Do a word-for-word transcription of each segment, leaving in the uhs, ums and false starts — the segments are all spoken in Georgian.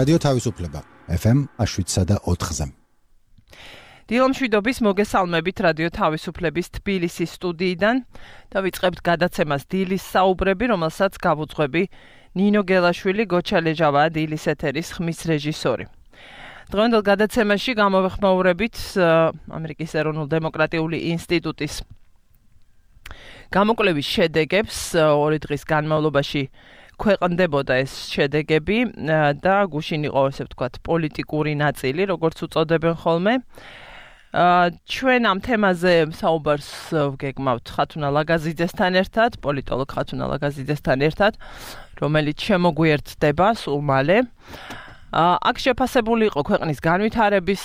რადიო თავისუფლება ეფ ემ შვიდსა და ოთხზე. დილამშვიდობის მოგესალმებით რადიო თავისუფლების თბილისის სტუდიიდან და ვიწყებთ გადაცემას დილის საუბრები, რომელსაც გავუძღვები ნინო გელაშვილი, გოჩა ლეჟავაა დილის ეთერის ხმის რეჟისორი. დღევანდელ გადაცემაში გამოვეხმაურებით ამერიკის ეროვნულ დემოკრატიული ინსტიტუტის გამოკვლევის შედეგებს. ორი დღის განმავლობაში ქვეყნდებოდა ეს შედეგები და გუშინ იყო, ესე ვთქვათ, პოლიტიკური ნაწილი, როგორც უწოდებენ ხოლმე. ჩვენ ამ თემაზე საუბარს ვგეგმავთ ხათუნა ლაგაზიძესთან ერთად, პოლიტოლოგ ხათუნა ლაგაზიძესთან ერთად, რომელიც შემოგვიერთდება სულ მალე. აქ შეფასებული იყო ქვეყნის განვითარების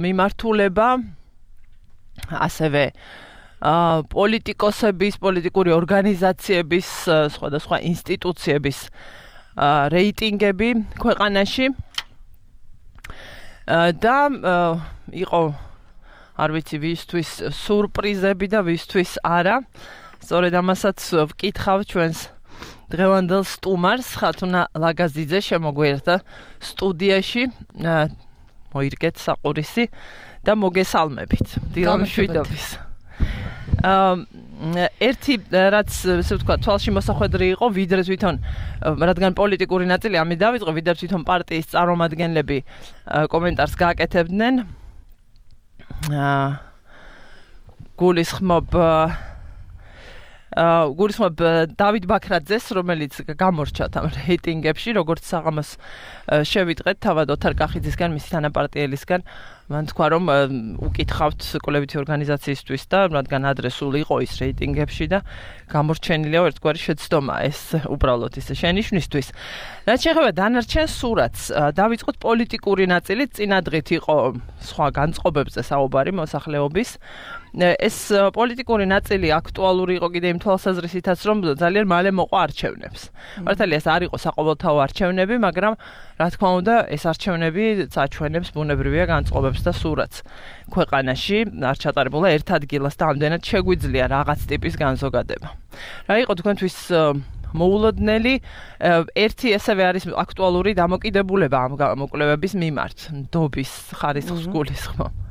მიმართულება, ასევე პოლიტიკოსების, პოლიტიკური ორგანიზაციების, სხვადასხვა ინსტიტუციების რეიტინგები ქვეყანაში და იყო არ ვიცი ვისთვის სურპრიზები და ვისთვის არა. სწორედ ამასაც ვკითხავ ჩვენს დღევანდელ სტუმარს, ხათუნა ლაგაზიძე შემოგვიერთდა სტუდიაში. მოირგეთ საყურისი და მოგესალმებით. დილამშვიდობის. ერთი რაც ესე ვთქვა თვალში მოსახვედრი იყო, ვიდრე თვითონ რადგან პოლიტიკური ნაწილი ამით დავიწყო, ვიდრე თვითონ პარტიის წარმომადგენლები კომენტარს გააკეთებდნენ. გულისხმობ გულისხმობ დავით ბაქრაძეს, რომელიც გამორჩათ ამ რეიტინგებში, როგორც საღამოს შევიტყეთ თავად ოთარ კახიძისგან, მისი თანაპარტიელისგან. მან თქვა, რომ უკითხავთ კვლევითი ორგანიზაციისთვის და რადგან ადრესული იყო ის რეიტინგებში და გამორჩენილია ერთგვარი შეცდომა ეს უბრალოდ ისე შენიშვნისთვის. რაც შეეხება დანარჩენ სურათს, დავიწყოთ პოლიტიკური ნაწილი, წინადღით იყო სხვა განწყობებზე საუბარი მოსახლეობის. ეს პოლიტიკური ნაწილი აქტუალური იყო კიდე იმ თვალსაზრისითაც, რომ ძალიან მალე მოყვა არჩევნებს. მართალია ეს არ იყო საყოველთაო არჩევნები, მაგრამ რა თქმა უნდა, ეს არჩევნები წაჩვენებს ბუნებრივია განწყობებს და სურათს ქვეყანაში. არ ჩატარებულა ერთ ადგილას და ამდენად შეგვიძლია რაღაც ტიპის განზოგადება. რა იყო თქვენთვის მოულოდნელი? ერთი ესევე არის აქტუალური დამოკიდებულება ამ გამოკვლევების მიმართ, ნდობის ხარისხს გულისხმობ.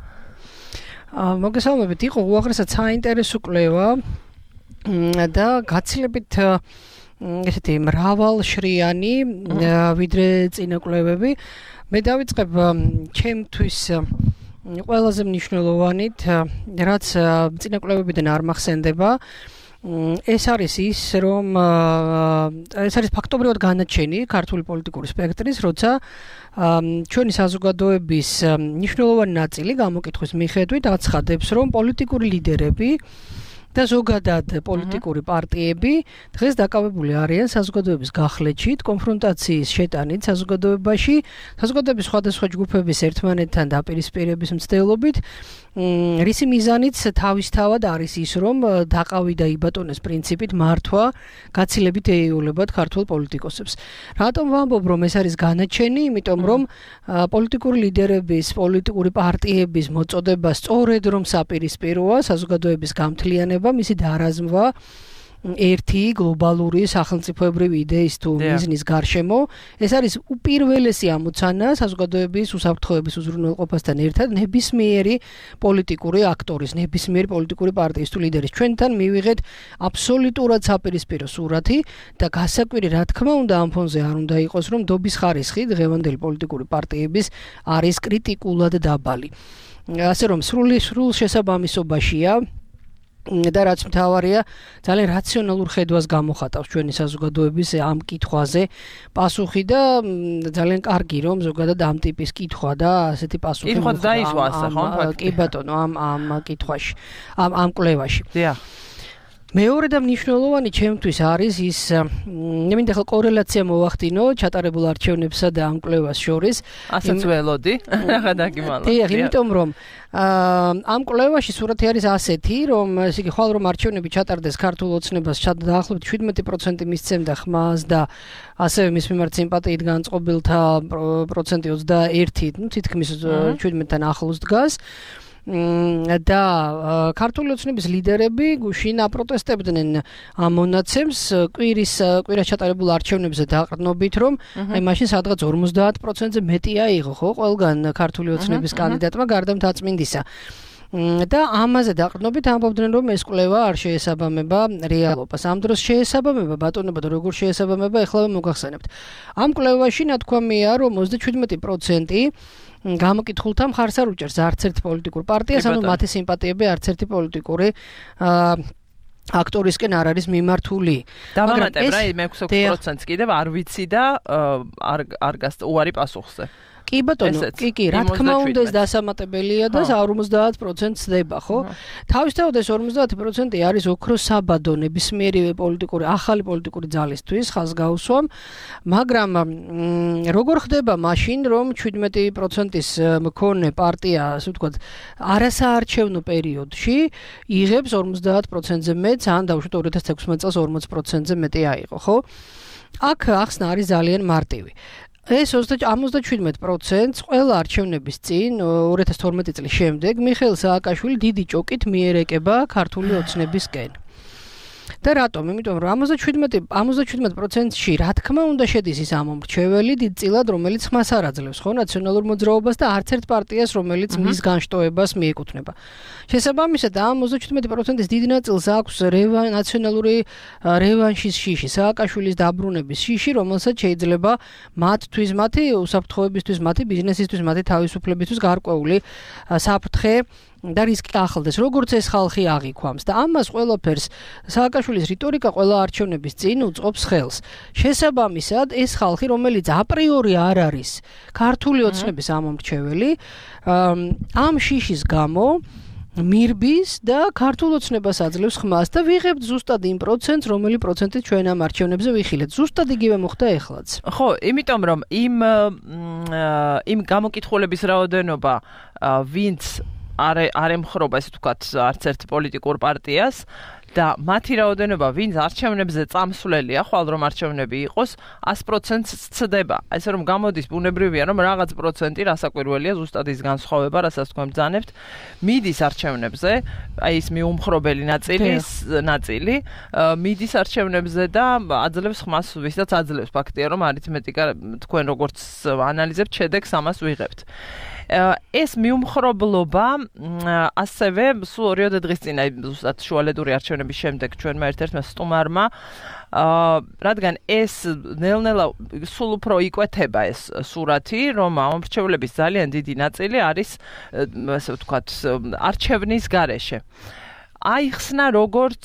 მოგესალმებით, იყო უაღრესად საინტერესო კვლევა და გაცილებით ესეთი მრავალშრიანი, ვიდრე წინა კვლევები. მე დავიწყებ ჩემთვის ყველაზე მნიშვნელოვანით, რაც წინა კვლევებიდან არ მახსენდება. ეს არის ის, რომ ეს არის ფაქტობრივად განაჩენი ქართული პოლიტიკური სპექტრის, როცა ჩვენი საზოგადოების მნიშვნელოვანი ნაწილი გამოკითხვის მიხედვით აცხადებს, რომ პოლიტიკური ლიდერები და ზოგადად პოლიტიკური პარტიები დღეს დაკავებული არიან საზოგადოების გახლეჩით, კონფრონტაციის შეტანით საზოგადოებაში, საზოგადოების სხვადასხვა ჯგუფების ერთმანეთთან დაპირისპირების მცდელობით, რისი მიზანიც თავისთავად არის ის, რომ დაყავი და იბატონეს პრინციპით მართვა გაცილებით ეიულებათ ქართულ პოლიტიკოსებს. რატომ ვამბობ, რომ ეს არის განაჩენი? იმიტომ რომ პოლიტიკური ლიდერების, პოლიტიკური პარტიების მოწოდება სწორედ რომ საპირისპიროა საზოგადოების გამთლიანება, მისი დარაზმვა ერთი გლობალური სახელმწიფოებრივი იდეის თუ მიზნის გარშემო. ეს არის უპირველესი ამოცანა საზოგადოების უსაფრთხოების უზრუნველყოფასთან ერთად ნებისმიერი პოლიტიკური აქტორის, ნებისმიერი პოლიტიკური პარტიის თუ ლიდერის. ჩვენთან მივიღეთ აბსოლუტურად საპირისპირო სურათი და გასაკვირი, რა თქმა უნდა, ამ ფონზე არ უნდა იყოს, რომ ნდობის ხარისხი დღევანდელი პოლიტიკური პარტიების არის კრიტიკულად დაბალი. ასე რომ სრული სრულ შესაბამისობაშია და რაც მთავარია, ძალიან რაციონალურ ხედვას გამოხატავს ჩვენი საზოგადოების ამ კითხვაზე პასუხი და ძალიან კარგი, რომ ზოგადად ამ ტიპის კითხვა და ასეთი პასუხი კითხვა დაისვა ასე, ხო? კი ბატონო, ამ ამ კითხვაში, ამ ამ კვლევაში. დიახ. მეორე და მნიშვნელოვანი ჩემთვის არის ის, მე მინდა ხელ კორელაცია მოვახდინო ჩატარებულ არჩევნებსა და ამ კვლევას შორის. ასეც ველოდი, რა დაგიმალო. დიახ, იმიტომ რომ ამ კვლევაში სურათი არის ასეთი, რომ ესე იგი ხვალ რომ არჩევნები ჩატარდეს ქართულ ოცნებას დაახლოებით შვიდმეტი პროცენტი მისცემდა ხმას და ასევე მის მიმართ სიმპათიით განწყობილთა პროცენტი ოცდაერთი, ну თითქმის შვიდმეტთან ახლოს დგას. და ქართული ოცნების ლიდერები გუშინ აპროტესტებდნენ ამ მონაცემს კვირის კვირას ჩატარებულ არჩევნებზე დაყრდნობით, რომ აი მაშინ სადღაც ორმოცდაათ პროცენტზე მეტი აიღო, ხო, ყველგან ქართული ოცნების კანდიდატმა გარდა მთაწმინდისა. და ამაზე დაყრდნობით ამბობდნენ, რომ ეს კვლევა არ შეესაბამება რეალობას. ამ დროს შეესაბამება ბატონობა და როგორ შეესაბამება, ეხლა მოგახსენებთ. ამ კვლევაში ნათქვამია, რომ ოცდაშვიდი პროცენტი გამოკითხულთა მხარს არ უჭერს არც ერთ პოლიტიკურ პარტიას, ანუ მათი სიმპათიები არც ერთი პოლიტიკური აქტორისკენ არ არის მიმართული. დავამატებ რა, მეექვსი პროცენტს კიდევ არ ვიცი და არ არ გასწ უარი პასუხზე. კი ბატონო, კი კი, რა თქმა უნდა ეს დასამატებელია და ორმოცდაათ პროცენტს დება, ხო? თავისთავად ეს ორმოცდაათი პროცენტი არის ოქროს საბადო ნებისმიერი პოლიტიკური ახალი პოლიტიკური ძალისთვის ხაზგაუსვამ, მაგრამ როგორ ხდება მაშინ, რომ შვიდმეტი პროცენტის მქონე პარტია, ასე ვთქვათ, არასაარჩევნო პერიოდში იღებს ორმოცდაათ პროცენტზე მეტს, ან დავუშვათ ორი ათას ექვსმეტ წელს ორმოცი პროცენტზე მეტი აიღო, ხო? აქ ახსნა არის ძალიან მარტივი. ეს ოცდაშვიდი პროცენტს ყველა არჩევნების წინ ორი ათას თორმეტი წლის შემდეგ მიხეილ სააკაშვილი დიდი ჭოკით მიერეკება ქართული ოცნებისკენ. და რატომ? იმიტომ რომ ოცდაშვიდი პროცენტში რა თქმა უნდა შედის ის ამომრჩეველი დიდწილად, რომელიც ხმას არ აძლევს, ხო, ნაციონალურ მოძრაობას და არც ერთ პარტიას, რომელიც მის განშტოებას მიეკუთვნება. შესაბამისად, ამ ოცდაშვიდი პროცენტის დიდ ნაწილს აქვს ნაციონალური რევანშის შიში, სააკაშვილის დაბრუნების შიში, რომელსაც შეიძლება მათთვის, მათი უსაფრთხოებისთვის, მათი ბიზნესისთვის, მათი თავისუფლებისთვის გარკვეული საფრთხე და რისკი ახლდეს, როგორც ეს ხალხი აღიქვამს და ამას ყველაფერს სააკაშვილის რიტორიკა ყველა არჩევნების წინ უწყობს ხელს. შესაბამისად, ეს ხალხი, რომელიც აპრიორი არ არის ქართული ოცნების ამომრჩეველი, ამ შიშის გამო მირბის და ქართულ ოცნებას აძლევს ხმას და ვიღებთ ზუსტად იმ პროცენტს, რომელი პროცენტით ჩვენ ამ არჩევნებზე ვიხილეთ. ზუსტად იგივე მოხდა ეხლაც. ხო, იმიტომ რომ იმ იმ გამოკითხულების რაოდენობა, ვინც არ არ ემხრობა, ესე ვთქვათ, არც ერთ პოლიტიკურ პარტიას და მათი რაოდენობა, ვინც არჩევნებზე წამსვლელია, ხვალ რომ არჩევნები იყოს, ას პროცენტს ცდება. ესე რომ გამოდის ბუნებრივია, რომ რაღაც პროცენტი რასაკვირველია, ზუსტად ის განსხვავება, რასაც თქვენ ბრძანებთ, მიდის არჩევნებზე, აი ეს მიუმხრობელი ნაწილი, ნაწილი, მიდის არჩევნებზე და აძლევს ხმას, ვისაც აძლევს ფაქტია, რომ არითმეტიკა თქვენ როგორც ანალიზებთ, შედეგს ამას ვიღებთ. ეს მიუმხრობლობა ასევე სულ ორიოდე დღის წინ, აი ზუსტად შუალედური არჩევნების შემდეგ ჩვენმა ერთ-ერთმა სტუმარმა, რადგან ეს ნელ-ნელა სულ უფრო იკვეთება ეს სურათი, რომ ამომრჩევლების ძალიან დიდი ნაწილი არის, ასე ვთქვათ, არჩევნის გარეშე. აიხსნა როგორც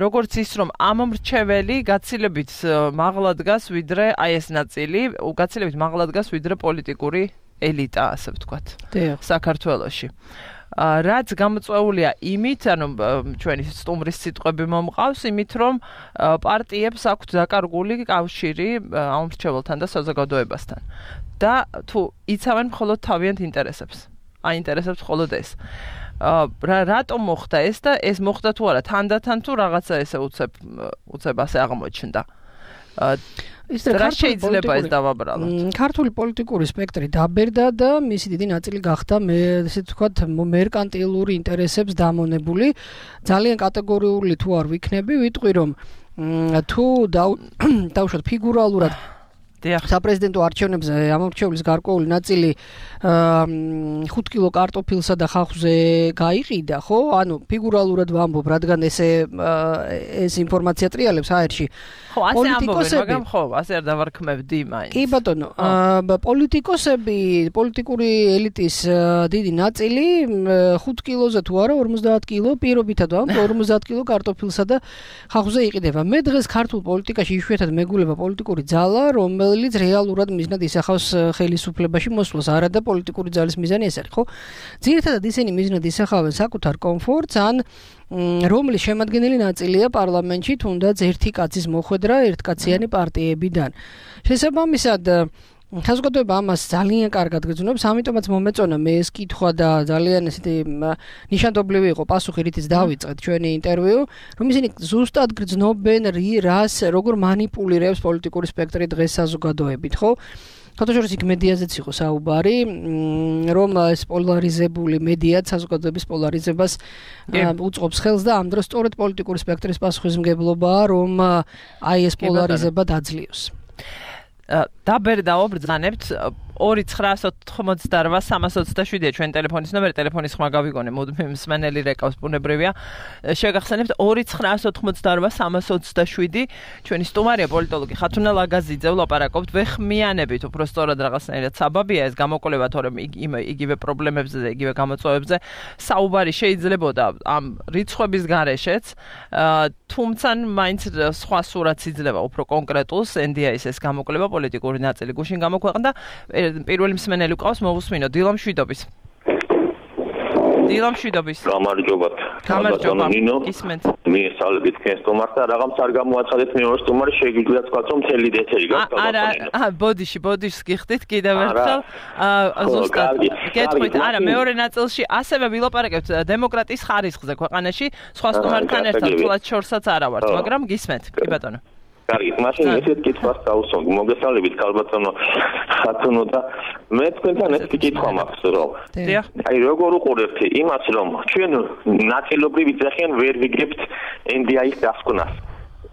როგორც ის, რომ ამომრჩეველი გაცილებით მაღლა დგას, ვიდრე აი ეს ნაწილი, გაცილებით მაღლა დგას, ვიდრე პოლიტიკური ელიტა, ასე ვთქვათ, საქართველოში. რაც გამოწვეულია იმით, ანუ ჩვენი სტუმრის სიტყვები მომყავს, იმით, რომ პარტიებს აქვთ დაკარგული კავშირი ამომრჩეველთან და საზოგადოებასთან. და თუ იცავენ მხოლოდ თავიანთ ინტერესებს. აინტერესებს მხოლოდ ეს. რა რატომ მოხდა ეს და ეს მოხდა თუ არა თანდათან თუ რაღაცა ესე უცებ უცებ ასე აღმოჩნდა. ის რა შეიძლება ეს დავაბრალოთ. ქართული პოლიტიკური სპექტრი დაბერდა და მისი დიდი ნაწილი გახდა მე ესე ვთქვათ მერკანტილური ინტერესებს დამონებული. ძალიან კატეგორიული თუ არ ვიქნები, ვიტყვი რომ თუ დავუშვათ ფიგურალურად საპრეზიდენტო არჩევნებზე ამომრჩევლის გარკვეული ნაწილი ხუთ კილო კარტოფილსა და ხახვზე გაიყიდა, ხო? ანუ ფიგურალურად ვამბობ, რადგან ესე ეს ინფორმაცია ტრიალებს აერში. ხო, ასე ამბობენ, მაგრამ ხო, ასე არ დავარქმევდი მაინც. კი ბატონო, პოლიტიკოსები, პოლიტიკური ელიტის დიდი ნაწილი ხუთ კილოზე თუ არა ორმოცდაათ კილო პირობითად ვამბობ, ორმოცდაათ კილო კარტოფილსა და ხახვზე იყიდება. მე დღეს ქართულ პოლიტიკაში იშვიათად მეგულება პოლიტიკური ძალა, რომელიც რეალურად მიზნად ისახავს ხელისუფლებაში მოსვლას, არა და პოლიტიკური ძალის მიზანი ეს არის, ხო? ძირითადად ისინი მიზნად ისახავენ საკუთარ კომფორტს, ან რომლის შემადგენელი ნაწილია პარლამენტში, თუნდაც ერთი კაცის მოხვედრა ერთკაციანი პარტიებიდან. შესაბამისად, საზოგადოება ამას ძალიან კარგად გრძნობს, ამიტომაც მომეწონა მე ეს კითხვა და ძალიან ესეთი ნიშანდობლივი იყო პასუხი, რითიც დავიწყეთ ჩვენი ინტერვიუ, რომ ისინი ზუსტად გრძნობენ რას, როგორ მანიპულირებს პოლიტიკური სპექტრი დღეს საზოგადოებით, ხო? ფოტოშორის იქ მედიაზეც იყო საუბარი, რომ ეს პოლარიზებული მედია საზოგადოების პოლარიზებას უწყობს ხელს და ამ დროს სწორედ პოლიტიკური სპექტრის პასუხისმგებლობაა, რომ აი ეს პოლარიზება დაძლიოს. დაბერდაო ბრძანებთ ორი ცხრა ოცდაოთხმოცდარვა სამას ოცდაშვიდია ჩვენ ტელეფონის ნომერი, ტელეფონის ხმა გავიგონე, მუდმივ მსმენელი რეკავს ბუნებრივია. შეგახსენებთ ორი ცხრა ოცდაოთხმოცდარვა სამას ოცდაშვიდი, ჩვენი სტუმარია პოლიტოლოგი ხათუნა ლაგაზიძე, ვლაპარაკობთ, ვეხმიანებით უფრო სწორად რაღაცნაირად საბაბია ეს გამოკვლევა, თორემ იგივე პრობლემებზე და იგივე გამოწვევებზე საუბარი შეიძლებოდა ამ რიცხვების გარეშეც, თუმცა მაინც სხვა სურათს იძლევა უფრო კონკრეტულს, ენ დი აი-ის ეს გამოკვლევა პოლიტიკური ნაწილი გუშინ გამოქვეყნდა. პირველი მსმენელი ყავს, მოვუსმინო დილამ შვიდობის. დილამ შვიდობის. გამარჯობათ. გამარჯობა. ნინო. ისმენთ. მიესალმებით თქვენ სტუმარს და რაღაც არ გამოაცხადეთ მეორე სტუმარი შეგვიძლია თქვა რომ მთელი ეთერი გაქვს. არა, აა ბოდიში, ბოდიშს გიხდით კიდევ ერთხელ. აა ზუსტად. გეტყვით, არა, მეორე ნაწილში ასევე ვილაპარაკებთ დემოკრატიის ხარისხზე ქვეყანაში, სხვა სტუმართან ერთად თულად შორსაც არა ვართ, მაგრამ გისმენთ, კი ბატონო. კარგი, მაშინ ესეთ კითხვას დავუსვამ. მოგესალმებით, ქალბატონო ხათუნო და მე თქვენთან ეს კითხვა მაქვს, რომ აი როგორ უყურებთ იმას, რომ ჩვენ ნაწილობრივ იძახიან ვერ ვიგებთ ენ დი აი-ის დასკვნას.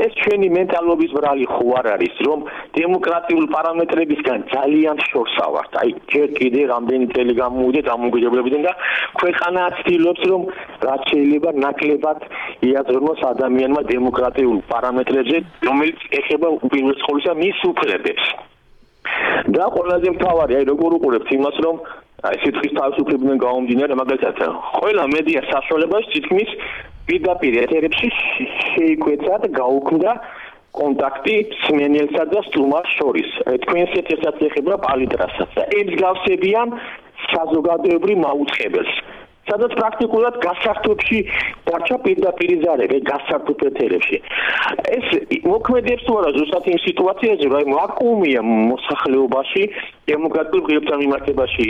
ეს ჩვენი მენტალობის ბრალი ხო არ არის, რომ დემოკრატიულ პარამეტრებისგან ძალიან შორსა ვართ. აი, ჯერ კიდე რამდენი წელი გამოვიდეთ ამოგვიდებლებიდან და ქვეყანა ცდილობს, რომ რაც შეიძლება ნაკლებად იაზროს ადამიანმა დემოკრატიულ პარამეტრებზე, რომელიც ეხება უპირველეს ყოვლისა მის უფლებებს. და ყველაზე მთავარი, აი როგორ უყურებთ იმას, რომ აი სიტყვის თავისუფლებიდან გამომდინარე, მაგალითად, ყველა მედია საშუალებას თითქმის პირდაპირ ეთერებში შეიკვეცა და გაუქმდა კონტაქტი მსმენელსა და სტუმარს შორის. თქვენს ეთერსაც ეხება პალიტრასაც და ემსგავსებიან საზოგადოებრივ მაუწყებელს. სადაც პრაქტიკულად გასართობში დარჩა პირდაპირ ზარები, გასართობ ეთერებში. ეს მოქმედებს თუ არა ზუსტად იმ სიტუაციაზე, რომ ვაკუუმია მოსახლეობაში, დემოკრატიულ ღირებთან მიმართებაში,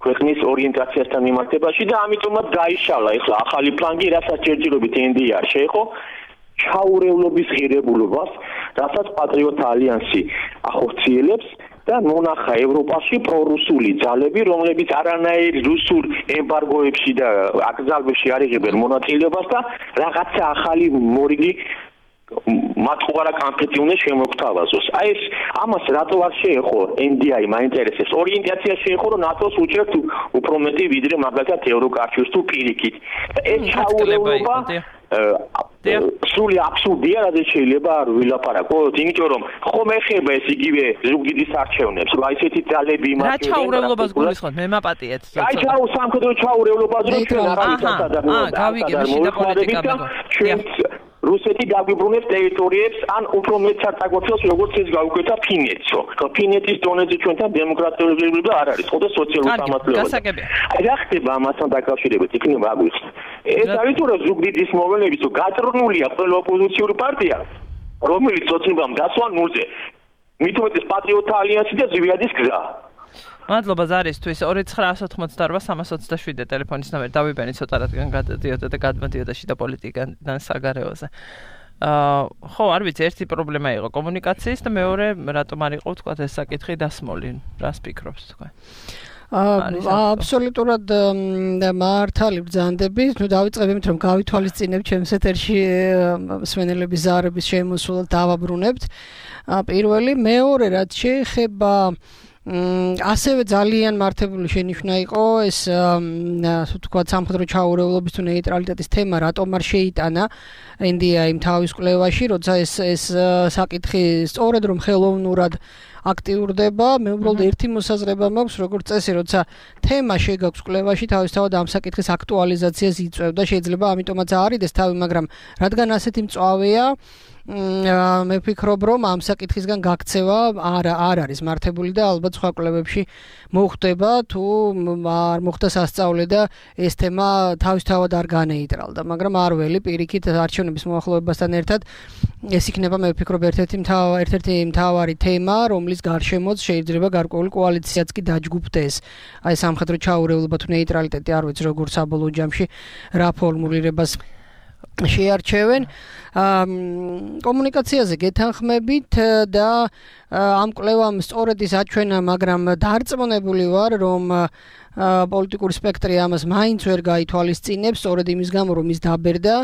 ქვეყნის ორიენტაციასთან მიმართებაში და ამიტომაც გაიშალა ეხლა ახალი ფლანგი, რასაც ჯერჯერობით ენ დი აი შეეხო ჩაურევლობის ღირებულობას, რასაც პატრიოტთა ალიანსი ახორციელებს და მონახა ევროპაში პრორუსული ძალები, რომლებიც არანაირ რუსულ ემბარგოებში და აკრძალვებში არ იღებენ მონაწილეობას და რაღაცა ახალი მორიგი მათყუარა კამპეტი უნდა შემოგთავაზოს. აი ეს ამას რატო არ შეეხო ენ დი აი მაინტერესებს. ორიენტაცია შეეხო რომ ნატოს უჭერთ უფრო მეტი ვიდრე მაგალითად ევროკავშირს თუ პირიქით. ეს ჩაურევლობა სრული აბსურდია, რაც შეიძლება არ ვილაპარაკოთ, იმიტომ რომ ხომ ეხება ეს იგივე ზუგდიდის არჩევნებს, რომ აი ესეთი ძალები იმას რა ჩაურევლობას გულისხმობთ, მე მაპატიეთ. აი ჩაუ სამხედრო ჩაურევლობას რომ ჩვენ არ არის სადაღმო. აა, გავიგებ, შიდა პოლიტიკა ჩვენ რუსეთი დაგვიბრუნებს ტერიტორიებს ან უფრო მეტ საწაგოთელს როგორც ეს გავუკვეთა ფინეთსო. ფინეთის დონეზე ჩვენთან დემოკრატიულობა არ არის, ხო და სოციალური სამართლებია. აი რა ხდება ამასთან დაკავშირებით, იქნება აგვიხსნა. ეს არის თუ რა ზუგდიდის მოვლენების თუ გატრნულია ყველა ოპოზიციური პარტია, რომელიც ოცნებამ დასვა ნულზე. მით უმეტეს პატრიოტთა ალიანსი და ზვიადის გზა. მადლობა ზარისთვის ორი ცხრა ოცდაოთხმოცდარვა სამას ოცდაშვიდი ტელეფონის ნომერი დავიბენი ცოტა რადგან გადადიოდა და გადმოდიოდა შიდა პოლიტიკიდან საგარეოზე. აა ხო, არ ვიცი, ერთი პრობლემა იყო კომუნიკაციის და მეორე რატომ არ იყო თქვა ეს საკითხი დასმოლი. რას ფიქრობთ თქვენ? აბსოლუტურად მართალი ბრძანდებით. ნუ დავიწყებთ რომ გავითვალისწინებთ ჩემს ეთერში მსმენელების ზარების შემოსვლას დავაბრუნებთ. პირველი, მეორე რაც შეეხება ასევე ძალიან მართებული შენიშვნა იყო ეს ასე ვთქვათ სამხედრო ჩაურევლობის თუ ნეიტრალიტეტის თემა რატომ არ შეიტანა ენ დი აი თავის კვლევაში, როცა ეს ეს საკითხი სწორედ რომ ხელოვნურად აქტიურდება, მე უბრალოდ ერთი მოსაზრება მაქვს, როგორც წესი, როცა თემა შეგაქვს კვლევაში, თავისთავად ამ საკითხის აქტუალიზაციას იწევდა, შეიძლება ამიტომაც არიდეს თავი, მაგრამ რადგან ასეთი მწვავეა, მე ვფიქრობ, რომ ამ საკითხისგან გაქცევა არ არ არის მართებული და ალბათ სხვა კვლევებში მოხდება, თუ არ მოხდა სასწაული და ეს თემა თავისთავად არ განეიტრალდა, მაგრამ არ ველი პირიქით არჩევნების მოახლოებასთან ერთად ეს იქნება მე ვფიქრობ ერთ-ერთი ერთ-ერთი მთავარი თემა, რომლის გარშემოც შეიძლება გარკვეული კოალიციაც კი დაჯგუფდეს. აი სამხედრო ჩაურევლობა თუ ნეიტრალიტეტი არ ვიცი როგორ საბოლოო ჯამში რა ფორმულირებას შეარჩევენ კომუნიკაციაზე გეთანხმებით და ამ კვლევამ სწორედ ის აჩვენა, მაგრამ დარწმუნებული ვარ, რომ პოლიტიკური სპექტრი ამას მაინც ვერ გაითვალისწინებს, სწორედ იმის გამო, რომ ის დაბერდა,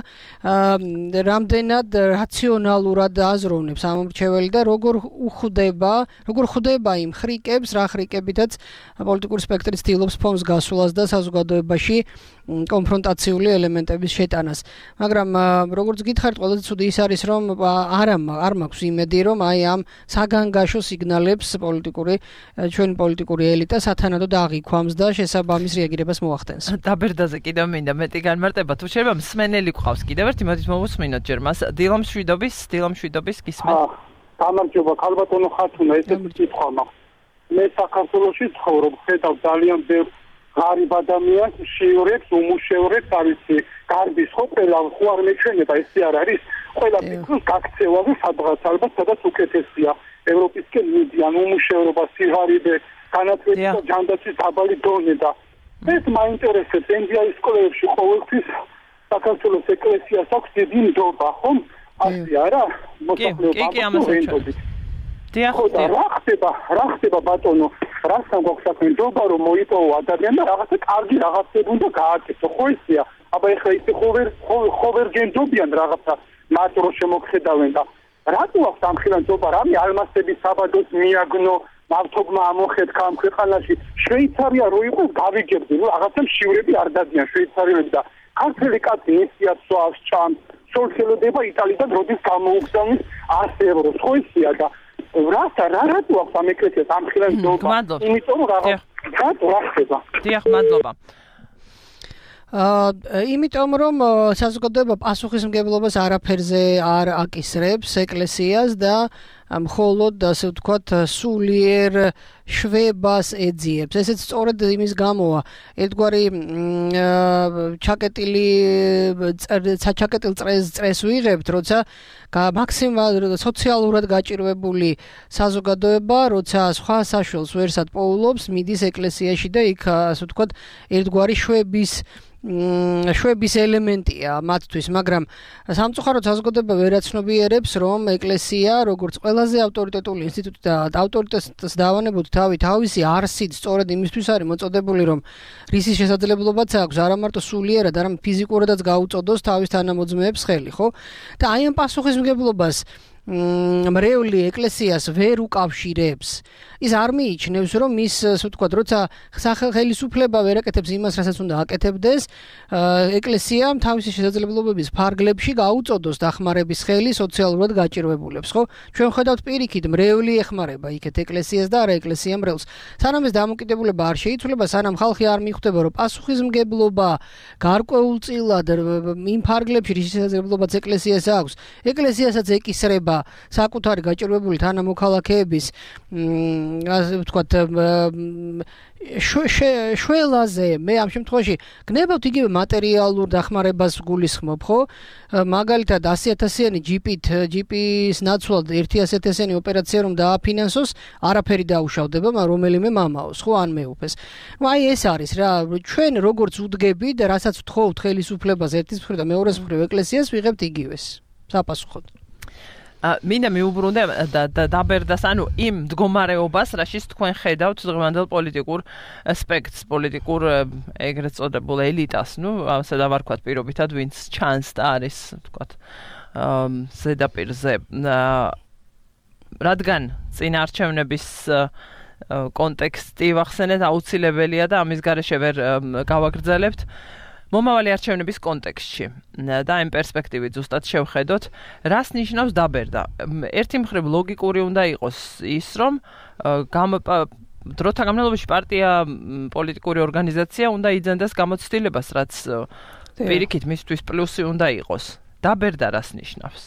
რამდენად რაციონალურად აზროვნებს ამორჩეველი და როგორ უხვდება, როგორ ხვდება იმ ხრიკებს, რა ხრიკებითაც პოლიტიკური სპექტრი ცდილობს ფონს გასვლას და საზოგადოებაში კონფრონტაციული ელემენტების შეტანას. მაგრამ როგორც გითხარით, ყველაზე ცუდი ის არის, რომ არ არ მაქვს იმედი, რომ აი ამ საგანგაშო სიგნალებს პოლიტიკური ჩვენი პოლიტიკური ელიტა სათანადოდ აღიქვამს და შესაბამის რეაგირებას მოახდენს. დაბერდაზე კიდევ მინდა მეტი განმარტება. თუ შეიძლება მსმენელი გვყავს კიდევ ერთი, მოდით მოვუსმინოთ ჯერ მას. დილა მშვიდობის, დილა მშვიდობის გისმენთ. გამარჯობა, ქალბატონო ხათუნა, ესეთი კითხვა მაქვს. მე საქართველოში ცხოვრობ, ხედავ ძალიან ბევრ ღარიბ ადამიანს, შიურებს, უმუშევრებს, არიცი, გარბის ხო ყველა ხო არ მეჩვენება, ესე არ არის. ყველა ფიქრობს გაქცევა და სადღაც ალბათ სადაც უკეთესია. ევროპისკენ მიდიან უმუშევრობა, სიღარიბე, განათლების და ჯანდაცვის დაბალი დონე და ეს მაინტერესებს ენდიაის სკოლებში ყოველთვის საქართველოს ეკლესიას აქვს დიდი ნდობა, ხომ? ასე არა? მოსახლეობა დიახ, რა ხდება, რა ხდება ბატონო, რასთან გვაქვს საქმე, ნდობა რომ მოიპოვო ადამიანი და რაღაცა კარგი რაღაცები უნდა გააკეთო, ხო ისეა? აბა ეხლა ისე ხოვერ ხოვერ გენდობიან რაღაცა მარტო შემოგხედავენ და რატო აქვს ამ ხილან ნდობა, რამე ალმასების საბადოს მიაგნო მავთობმა ამოხედა ამ ქვეყანაში შვეიცარია რო იყოს გავიგებდი, რომ რაღაცა მშივრები არ დადიან შვეიცარიელები და ქართული კაცი ისიაც სვავს ჭამს, სოლხელოდება იტალიიდან როდის გამოუგზავნის ასი ევროს, ხო ისეა და რასა რა რატო აქვს ამ ეკლესიას ამ ხილან ნდობა, იმიტომ რომ რაღაც რატო რა ხდება? დიახ, მადლობა. აა იმიტომ რომ საზოგადოება პასუხისმგებლობას არაფერზე არ აკისრებს ეკლესიას და მხოლოდ ასე ვთქვათ სულიერ შვებას ეძიებს. ესეც სწორედ იმის გამოა. ერთგვარი ჩაკეტილი საჩაკეტილ წრეს წრეს ვიღებთ, როცა მაქსიმალურად სოციალურად გაჭირვებული საზოგადოება, როცა სხვა საშუალს ვერსად პოულობს, მიდის ეკლესიაში და იქ ასე ვთქვათ ერთგვარი შვების შვების ელემენტია მათთვის, მაგრამ სამწუხაროდ საზოგადოება ვერ აცნობიერებს, რომ ეკლესია, როგორც ყველაზე ავტორიტეტული ინსტიტუტი და ავტორიტეტს დავანებოთ თავი თავისი არსით, სწორედ იმისთვის არის მოწოდებული, რომ რისის შესაძლებლობაც აქვს არა მარტო სულიერად, არამედ ფიზიკურადაც გაუწოდოს თავის თანამოძმეებს ხელი, ხო? და აი ამ პასუხისმგებლობას მრევლი ეკლესიას ვერ უკავშირებს. ის არ მიიჩნევს, რომ ის, ასე ვთქვათ, როცა სახელმწიფო ვერ აკეთებს იმას, რასაც უნდა აკეთებდეს, ეკლესიამ თავისი შესაძლებლობების ფარგლებში გაუწოდოს დახმარების ხელი სოციალურად გაჭირვებულებს, ხო? ჩვენ ხედავთ პირიქით, მრევლი ეხმარება იქეთ ეკლესიას და არა ეკლესია მრევლს. სანამ ეს დამოკიდებულება არ შეიცვლება, სანამ ხალხი არ მიხვდება, რომ პასუხისმგებლობა გარკვეულწილად იმ ფარგლებში, რის შესაძლებლობაც ეკლესიას აქვს, ეკლესიასაც ეკისრება საკუთარი გაჭირვებული თანამოქალაქეების ასე ვთქვათ შველაზე მე ამ შემთხვევაში გნებავთ იგივე მატერიალურ დახმარებას გულისხმობ, ხო? მაგალითად one hundred thousand-იანი ჯიპით, ჯიპის ნაცვლად one hundred thousand-იანი ოპერაცია რომ დააფინანსოს, არაფერი დაუშავდება, მაგრამ რომელიმე მამაოს, ხო, ან მეუფეს. ნუ აი ეს არის რა, ჩვენ როგორც უდგებით, რასაც ვთხოვთ ხელისუფლებას ერთის მხრივ და მეორეს მხრივ ეკლესიას ვიღებთ იგივეს. საპასუხოდ. მინდა მიუბრუნდე დაბერდას, ანუ იმ მდგომარეობას, რაშიც თქვენ ხედავთ დღევანდელ პოლიტიკურ სპექტრს, პოლიტიკურ ეგრეთ წოდებულ ელიტას, ნუ ასე დავარქვათ პირობითად, ვინც ჩანს და არის, ვთქვათ, ზედაპირზე. რადგან წინაარჩევნების კონტექსტი ვახსენეთ აუცილებელია და ამის გარეშე ვერ გავაგრძელებთ. მომავალი არჩევნების კონტექსტში და იმ პერსპექტივით ზუსტად შევხედოთ, რას ნიშნავს დაბერდა. ერთი მხრივ ლოგიკური უნდა იყოს ის, რომ დროთა განმავლობაში პარტია, პოლიტიკური ორგანიზაცია უნდა იძენდეს გამოცდილებას, რაც პირიქით მისთვის პლუსი უნდა იყოს. დაბერდა რას ნიშნავს?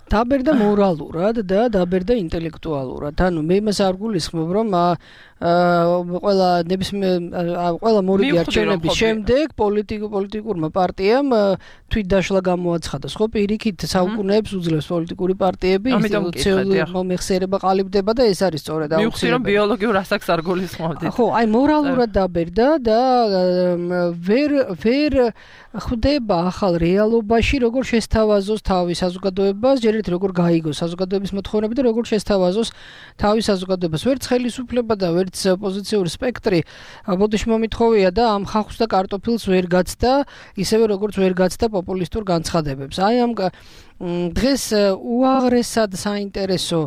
დაბერდა მორალურად და დაბერდა ინტელექტუალურად. ანუ მე იმას არ გულისხმობ, რომ ყველა ნებისმიერ ყველა მორიგი არჩევნების შემდეგ პოლიტიკურ პოლიტიკურმა პარტიამ თვითდაშლა გამოაცხადა, ხო, პირიქით საუკუნეებს უძლებს პოლიტიკური პარტიები, ინსტიტუციური მომხსიერება ყალიბდება და ეს არის სწორედ აუცილებელი. მივხვდი რომ ბიოლოგიურ ასაკს არ გულისხმობდით. ხო, აი მორალურად დაბერდა და ვერ ვერ ხვდება ახალ რეალობაში როგორ შესთავაზოს თავის საზოგადოებას, ჯერ ერთ როგორ გაიგოს საზოგადოების მოთხოვნები და როგორ შესთავაზოს თავის საზოგადოებას. ვერც ხელისუფლება და ვერც ოპოზიციური სპექტრი ბოდიში მომითხოვია და ამ ხალხს და კარტოფილს ვერ გაცდა, ისევე როგორც ვერ გაცდა პოპულისტურ განცხადებებს. აი ამ დღეს უაღრესად საინტერესო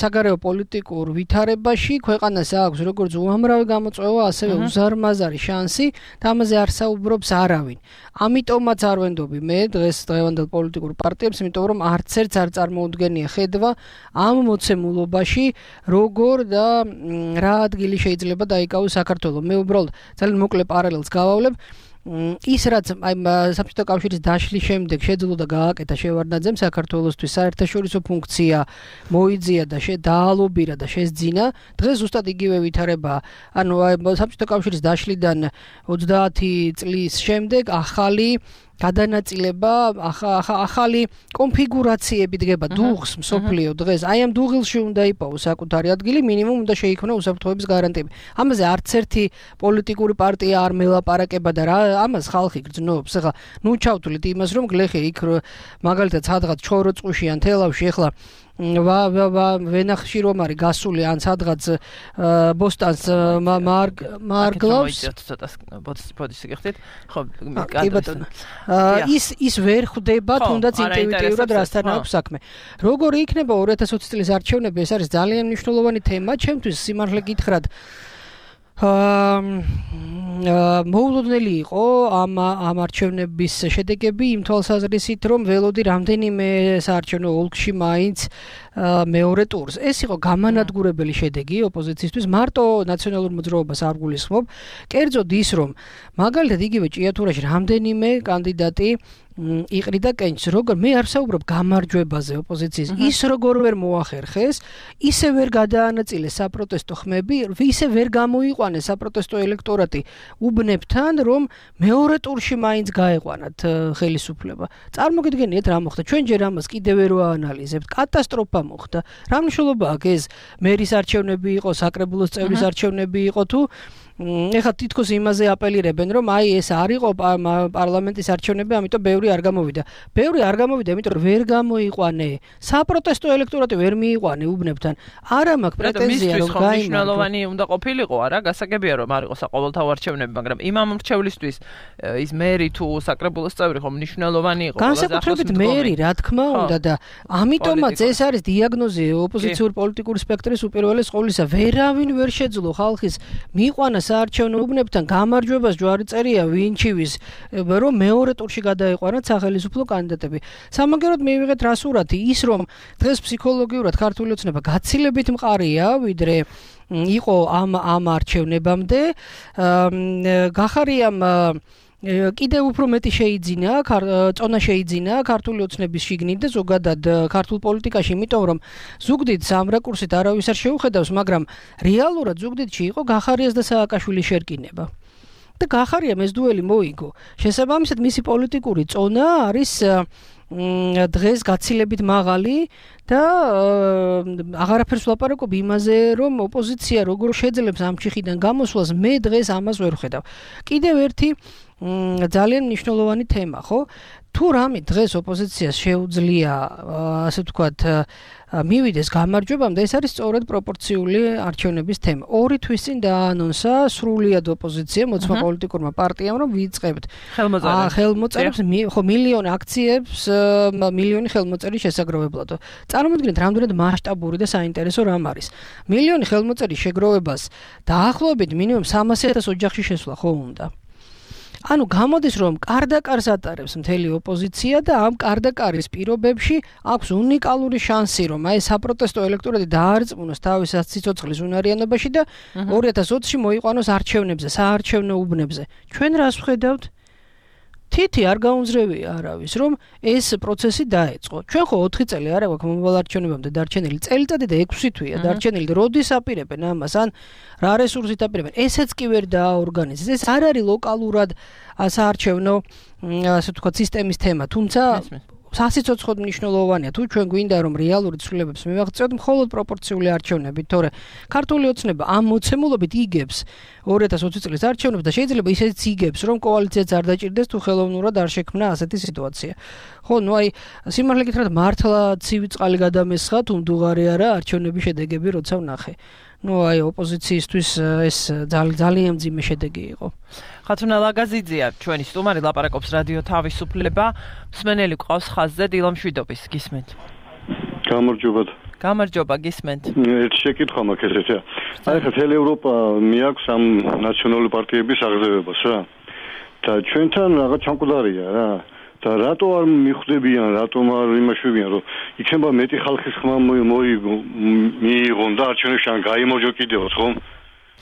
საგარეო პოლიტიკურ ვითარებაში ქვეყანას აქვს როგორც უამრავი გამოწვევა, ასევე უზარმაზარი შანსი და ამაზე არ საუბრობს არავინ. ამიტომაც არ ვენდობი მე დღეს დღევანდელ პოლიტიკურ პარტიებს, იმიტომ რომ არც ერთს არ წარმოუდგენია ხედვა ამ მოცემულობაში როგორ და რა ადგილი შეიძლება დაიკავოს საქართველოს. მე უბრალოდ ძალიან მოკლე პარალელს გავავლებ. ის რაც აი საბჭოთა კავშირის დაშლის შემდეგ შეძლო და გააკეთა შევარდნაძემ საქართველოსთვის საერთაშორისო ფუნქცია მოიძია და დაალობირა და შესძინა, დღეს ზუსტად იგივე ვითარებაა. ანუ საბჭოთა კავშირის დაშლიდან ოცდაათი წლის შემდეგ ახალი გადანაწილება, ახალი კონფიგურაციები დგება დუღს მსოფლიო დღეს. აი ამ დუღილში უნდა იპოვოს საკუთარი ადგილი, მინიმუმ უნდა შეიქმნა უსაფრთხოების გარანტიები. ამაზე არც ერთი პოლიტიკური პარტია არ მელაპარაკება და რა ამას ხალხი გრძნობს. ახლა ნუ ჩავთვლით იმას, რომ გლეხი იქ მაგალითად სადღაც ჩოროწყუში ან თელავში ახლა ვა ვა ვენახში რომ არის გასული ან სადღაც ბოსტანს მარგლავს ბოდიში გიხდით ხო ის ის ვერ ხვდება თუნდაც ინტუიტიურად რასთან აქვს საქმე. როგორი იქნება ორი ათას ოცი წლის არჩევნები, ეს არის ძალიან მნიშვნელოვანი თემა ჩემთვის. სიმართლე გითხრათ, მოულოდნელი იყო ამ ამ არჩევნების შედეგები იმ თვალსაზრისით, რომ ველოდი რამდენიმე საარჩევნო ოლქში მაინც მეორე ტურს. ეს იყო გამანადგურებელი შედეგი ოპოზიციისთვის, მარტო ნაციონალურ მოძრაობას არ გულისხმობ. კერძოდ ის, რომ მაგალითად იგივე ჭიათურაში რამდენიმე კანდიდატი იყრიდა კენჭს, როგორ მე არ ვსაუბრობ გამარჯვებაზე ოპოზიციის, ის როგორ ვერ მოახერხეს, ისე ვერ გადაანაწილეს საპროტესტო ხმები, ისე ვერ გამოიყვანეს საპროტესტო ელექტორატი უბნებთან, რომ მეორე ტურში მაინც გაეყვანათ ხელისუფლება. წარმოგიდგენიათ რა მოხდა? ჩვენ ჯერ ამას კიდევ ვერ ვაანალიზებთ. კატასტროფა მოხდა. რა მნიშვნელობა აქვს ეს მერის არჩევნები იყო, საკრებულოს წევრის არჩევნები იყო თუ ეხლა თითქოს იმაზე აპელირებენ, რომ აი ეს არ იყო პარლამენტის არჩევნები, ამიტომ ბევრი არ გამოვიდა. ბევრი არ გამოვიდა, იმიტომ რომ ვერ გამოიყვანე. საპროტესტო ელექტორატი ვერ მიიყვანე უბნებთან. არა მაქვს პრეტენზია რომ გაიმარჯვა. მნიშვნელოვანი უნდა ყოფილიყო, არა, გასაგებია რომ არ იყო საყოველთაო არჩევნები, მაგრამ იმ ამრჩევლისთვის ის მერი თუ საკრებულოს წევრი ხო მნიშვნელოვანი იყო. განსაკუთრებით მერი, რა თქმა უნდა და ამიტომაც ეს არის დიაგნოზი ოპოზიციური პოლიტიკური სპექტრის უპირველეს ყოვლისა. ვერავინ ვერ შეძლო ხალხის მიიყვანა საარჩევნო უბნებთან გამარჯვებას ჯვარი წერია ვინჩივის, რომ მეორე ტურში გადაეყვანათ სახელმწიფო კანდიდატები. სამაგეროდ მივიღეთ რა სურათი, ის რომ დღეს ფსიქოლოგიურად ქართული ოცნება გაცილებით მყარია, ვიდრე იყო ამ ამ არჩევნებამდე. გახარიამ კიდევ უფრო მეტი შეიძინა, წონა შეიძინა ქართული ოცნების შიგნით და ზოგადად ქართულ პოლიტიკაში, იმიტომ რომ ზუგდიდს ამ რაკურსით არავის არ შეუხედავს, მაგრამ რეალურად ზუგდიდში იყო გახარიას და სააკაშვილის შერკინება. და გახარიამ ეს დუელი მოიგო. შესაბამისად მისი პოლიტიკური წონა არის დღეს გაცილებით მაღალი და აღარაფერს ვლაპარაკობ იმაზე, რომ ოპოზიცია როგორ შეძლებს ამ ჩიხიდან გამოსვლას, მე დღეს ამას ვერ ვხედავ. კიდევ ერთი ძალიან მნიშვნელოვანი თემა, ხო? თუ რამე დღეს ოპოზიციას შეუძლია, ასე ვთქვათ, მივიდეს გამარჯვებამდე, ეს არის სწორედ პროპორციული არჩევნების თემა. ორი თვის წინ დაანონსა სრულიად ოპოზიცია მოწმა პოლიტიკურმა პარტიამ, რომ ვიწყებთ ხელმოწერებს, ხო, მილიონი აქციებს, მილიონი ხელმოწერის შესაგროვებლად. წარმოიდგინეთ, რამდენად მასშტაბური და საინტერესო რამ არის. მილიონი ხელმოწერის შეგროვებას დაახლოებით მინიმუმ სამასი ათას ოჯახში შესვლა ხო უნდა. ანუ გამოდის რომ კარდაკარს ატარებს მთელი ოპოზიცია და ამ კარდაკარის პირობებში აქვს უნიკალური შანსი რომ აი საპროტესტო ელექტორატი დაარწმუნოს თავის სიცოცხლის უნარიანობაში და ორი ათას ოცში მოიყვანოს არჩევნებზე, საარჩევნო უბნებზე. ჩვენ რას ვხედავთ? თითი არ გაუნზრევია არავის, რომ ეს პროცესი დაეწყო. ჩვენ ხო ოთხი წელი არა გვაქვს მომავალ არჩევნებამდე დარჩენილი, წელიწადი და ექვსი თვეა დარჩენილი, როდის აპირებენ ამას, ან რა რესურსით აპირებენ. ესეც კი ვერ დააორგანიზეს. ეს არ არის ლოკალურად საარჩევნო, ასე ვთქვათ, სისტემის თემა, თუმცა სასიცოცხლოდ მნიშვნელოვანია თუ ჩვენ გვინდა რომ რეალური ცვლილებებს მივაღწევთ მხოლოდ პროპორციული არჩევნებით, თორე ქართული ოცნება ამ მოცემულობით იგებს ორი ათას ოცი წლის არჩევნებს და შეიძლება ისიც იგებს რომ კოალიციაც არ დაჭირდეს თუ ხელოვნურად არ შექმნა ასეთი სიტუაცია. ხო, ნუ აი სიმართლე გითხრათ მართლა ცივი წყალი გადამესხა თუ მდუღარი არა არჩევნების შედეგები როცა ვნახე. ნუ აი ოპოზიციისთვის ეს ძალიან მძიმე შედეგი იყო. ხათუნა ლაგაზიძეა ჩვენი სტუმარი, ლაპარაკობს რადიო თავისუფლება. მსმენელი ყავს ხაზზე დილამშვიდობის, გისმენთ. გამარჯობა. გამარჯობა, გისმენთ. ერთი შეკითხვა მაქვს ესეა. აი ხა თელ ევროპა მიაქვს ამ ნაციონალური პარტიების აღზევებას რა. და ჩვენთან რაღაც ჩამკვდარია რა. და რატო არ მიხვდებიან, რატომ არ იმაშვებიან, რომ იქნება მეტი ხალხის ხმა მიიღონ და არჩევნებში ან გაიმარჯვა კიდევაც, ხო?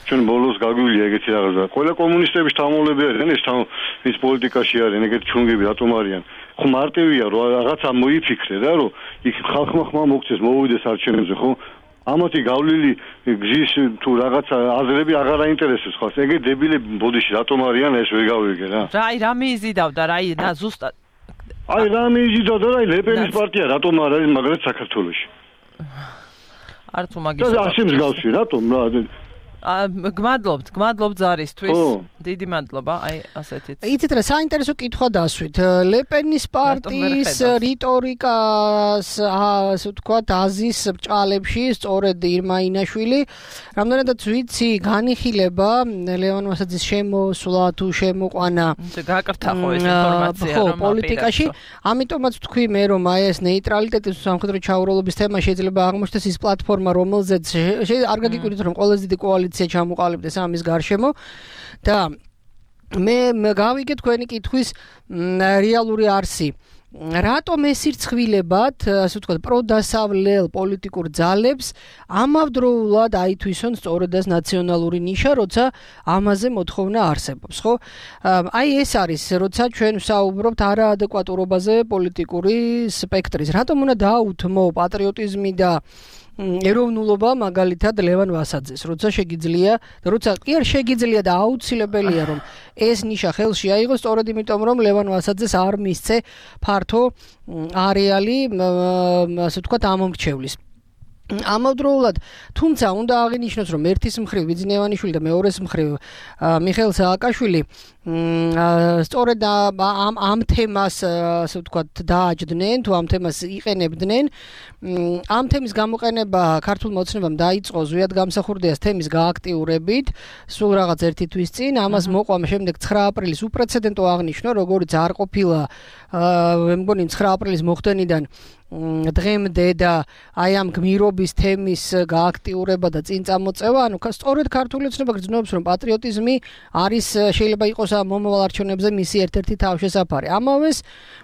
ჩვენ ბოლოს გაგვილია ეგეთი რაღაცა. ყველა კომუნისტების თამოლები არიან, ეს თამ ის პოლიტიკაში არიან, ეგეთი ჩუნგები რატომ არიან? ხო მარტივია, რომ რაღაცა მოიფიქრე რა, რომ იქ ხალხმა ხმა მოგწეს, მოვიდეს არჩევნებზე, ხო? ამათი გავლილი გზის თუ რაღაცა აზრები აღარ აინტერესებს ხალხს. ეგეთი დებილები ბოდიში რატომ არიან, ეს ვერ გავიგე რა. რა, აი რა მიიზიდავდა, რა, და ზუსტად აი რა მიიზიდავდა, რა, ლეპენის პარტია რატომ არ არის მაგალითად საქართველოში? არც უმაგის. და ასე მსგავსი, რატომ რა? გმადლობთ, გმადლობთ ზარისთვის. დიდი მადლობა, აი ასეთიც. იცით რა, საინტერესო კითხვა დასვით. ლეპენის პარტიის რიტორიკას, ასე ვთქვათ, აზის ბჭყალებში, სწორედ ირმა ინაშვილი, რამდენადაც ვიცი, განიხილება ლევან ვასაძის შემოსვლა თუ შემოყვანა. გაკრთა ხო ეს ინფორმაცია რომ პოლიტიკაში, ამიტომაც ვთქვი მე, რომ აი ეს ნეიტრალიტეტის სამხედრო ჩაუროლობის თემა შეიძლება აღმოჩნდეს ის პლატფორმა, რომელზეც არ გაგიკვირდით, რომ ყველაზე დიდი კოალიცია ჩამოყალიბდეს ამის გარშემო და მე გავიგე თქვენი კითხვის რეალური არსი. რატომ ეს ირცხვილებად, ასე ვთქვათ, პროდასავლელ პოლიტიკურ ძალებს ამავდროულად აითვისონ სწორედ ეს ნაციონალური ნიშა, როცა ამაზე მოთხოვნა არსებობს, ხო? აი ეს არის, როცა ჩვენ ვსაუბრობთ არაადეკვატურობაზე პოლიტიკური სპექტრის. რატომ უნდა დაუთმო პატრიოტიზმი და ეროვნულობა მაგალითად ლევან ვასაძეს, როცა შეგიძლია და როცა კი არ შეგიძლია და აუცილებელია რომ ეს ნიშა ხელში აიღოს, სწორედ იმიტომ რომ ლევან ვასაძეს არ მისცე ფართო არეალი, ასე ვთქვათ, ამომრჩევლის. ამავდროულად, თუმცა უნდა აღინიშნოს, რომ ერთის მხრივ ვიძინევანიშვილი და მეორეს მხრივ მიხეილ სააკაშვილი სწორედ ამ ამ თემას, ასე ვთქვათ, დააჯდნენ, თუ ამ თემას იყენებდნენ. ამ თემის გამოყენება ქართულ მოცნებამ დაიწყო ზვიად გამსახურდიას თემის გააქტიურებით, სულ რაღაც ერთი თვის წინ, ამას მოყვა შემდეგ ცხრა აპრილის უპრეცედენტო აღნიშვნა, როგორც არ ყოფილა, მე მგონი ცხრა აპრილის მოხდენიდან დღემდე და აი ამ გმირობის თემის გააქტიურება და წინ წამოწევა, ანუ სწორედ ქართული ოცნება გრძნობს, რომ პატრიოტიზმი არის შეიძლება იყოს მომავალ არჩევნებზე მისი ერთ-ერთი თავშესაფარი. ამავეს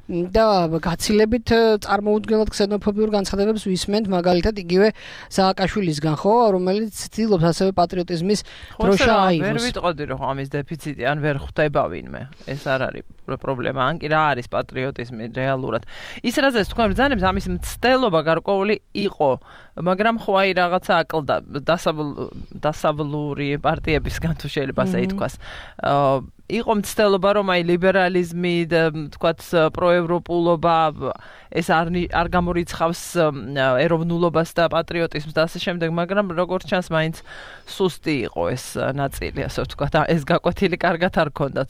და გაცილებით წარმოუდგენლად ქსენოფობიურ განცხადებებს ვისმენთ, მაგალითად იგივე სააკაშვილისგან, ხო, რომელიც ცდილობს ასევე პატრიოტიზმის დროშა აიღოს. ვერ ვიტყოდი, რომ ამის დეფიციტი, ან ვერ ხვდება ვინმე. ეს არ არის პრობლემა, ან კი რა არის პატრიოტიზმი რეალურად. ის რაზეც თქვენ ბრძანებს, ამის მცდელობა გარკვეული იყო, მაგრამ ხო აი რაღაცა აკლდა დასავლური პარტიებისგან თუ შეიძლება ასე ითქვას. იყო მცდელობა, რომ აი ლიბერალიზმი და თქვათ პროევროპულობა ეს არ არ გამორიცხავს ეროვნულობას და პატრიოტიზმს და ასე შემდეგ, მაგრამ როგორც ჩანს, მაინც სუსტი იყო ეს ნაწილი, ასე ვთქვათ, ეს გაკვეთილი კარგად არ ქონდათ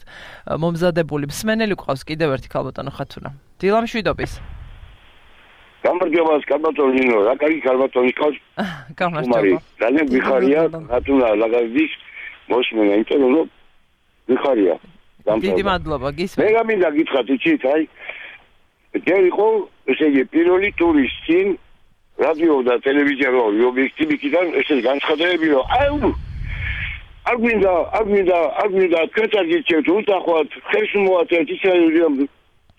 მომზადებული. მსმენელი ყავს კიდევ ერთი ქალბატონო ხათუნა. დილამშვიდობის. გამარჯობა, კალბატონინო, რა კარგი კალბატონი ყავს? გამარჯობა. ძალიან ვიხარია, ხათუნა ლაგაზის მოსმენა, იმიტომ რომ ვიხარია. დიდი მადლობა, გისმენთ. მე გამინდა გითხრათ, იცით, აი ჯერ იყო, ესე იგი, პირველი ტურის წინ რადიო და ტელევიზია რო ობიექტივიდან ესე განცხადებები რომ აი არ გვინდა, არ გვინდა, არ გვინდა კეთილგიჩეთ, უთახვათ, ხელს მოაწევთ ისრაელიდან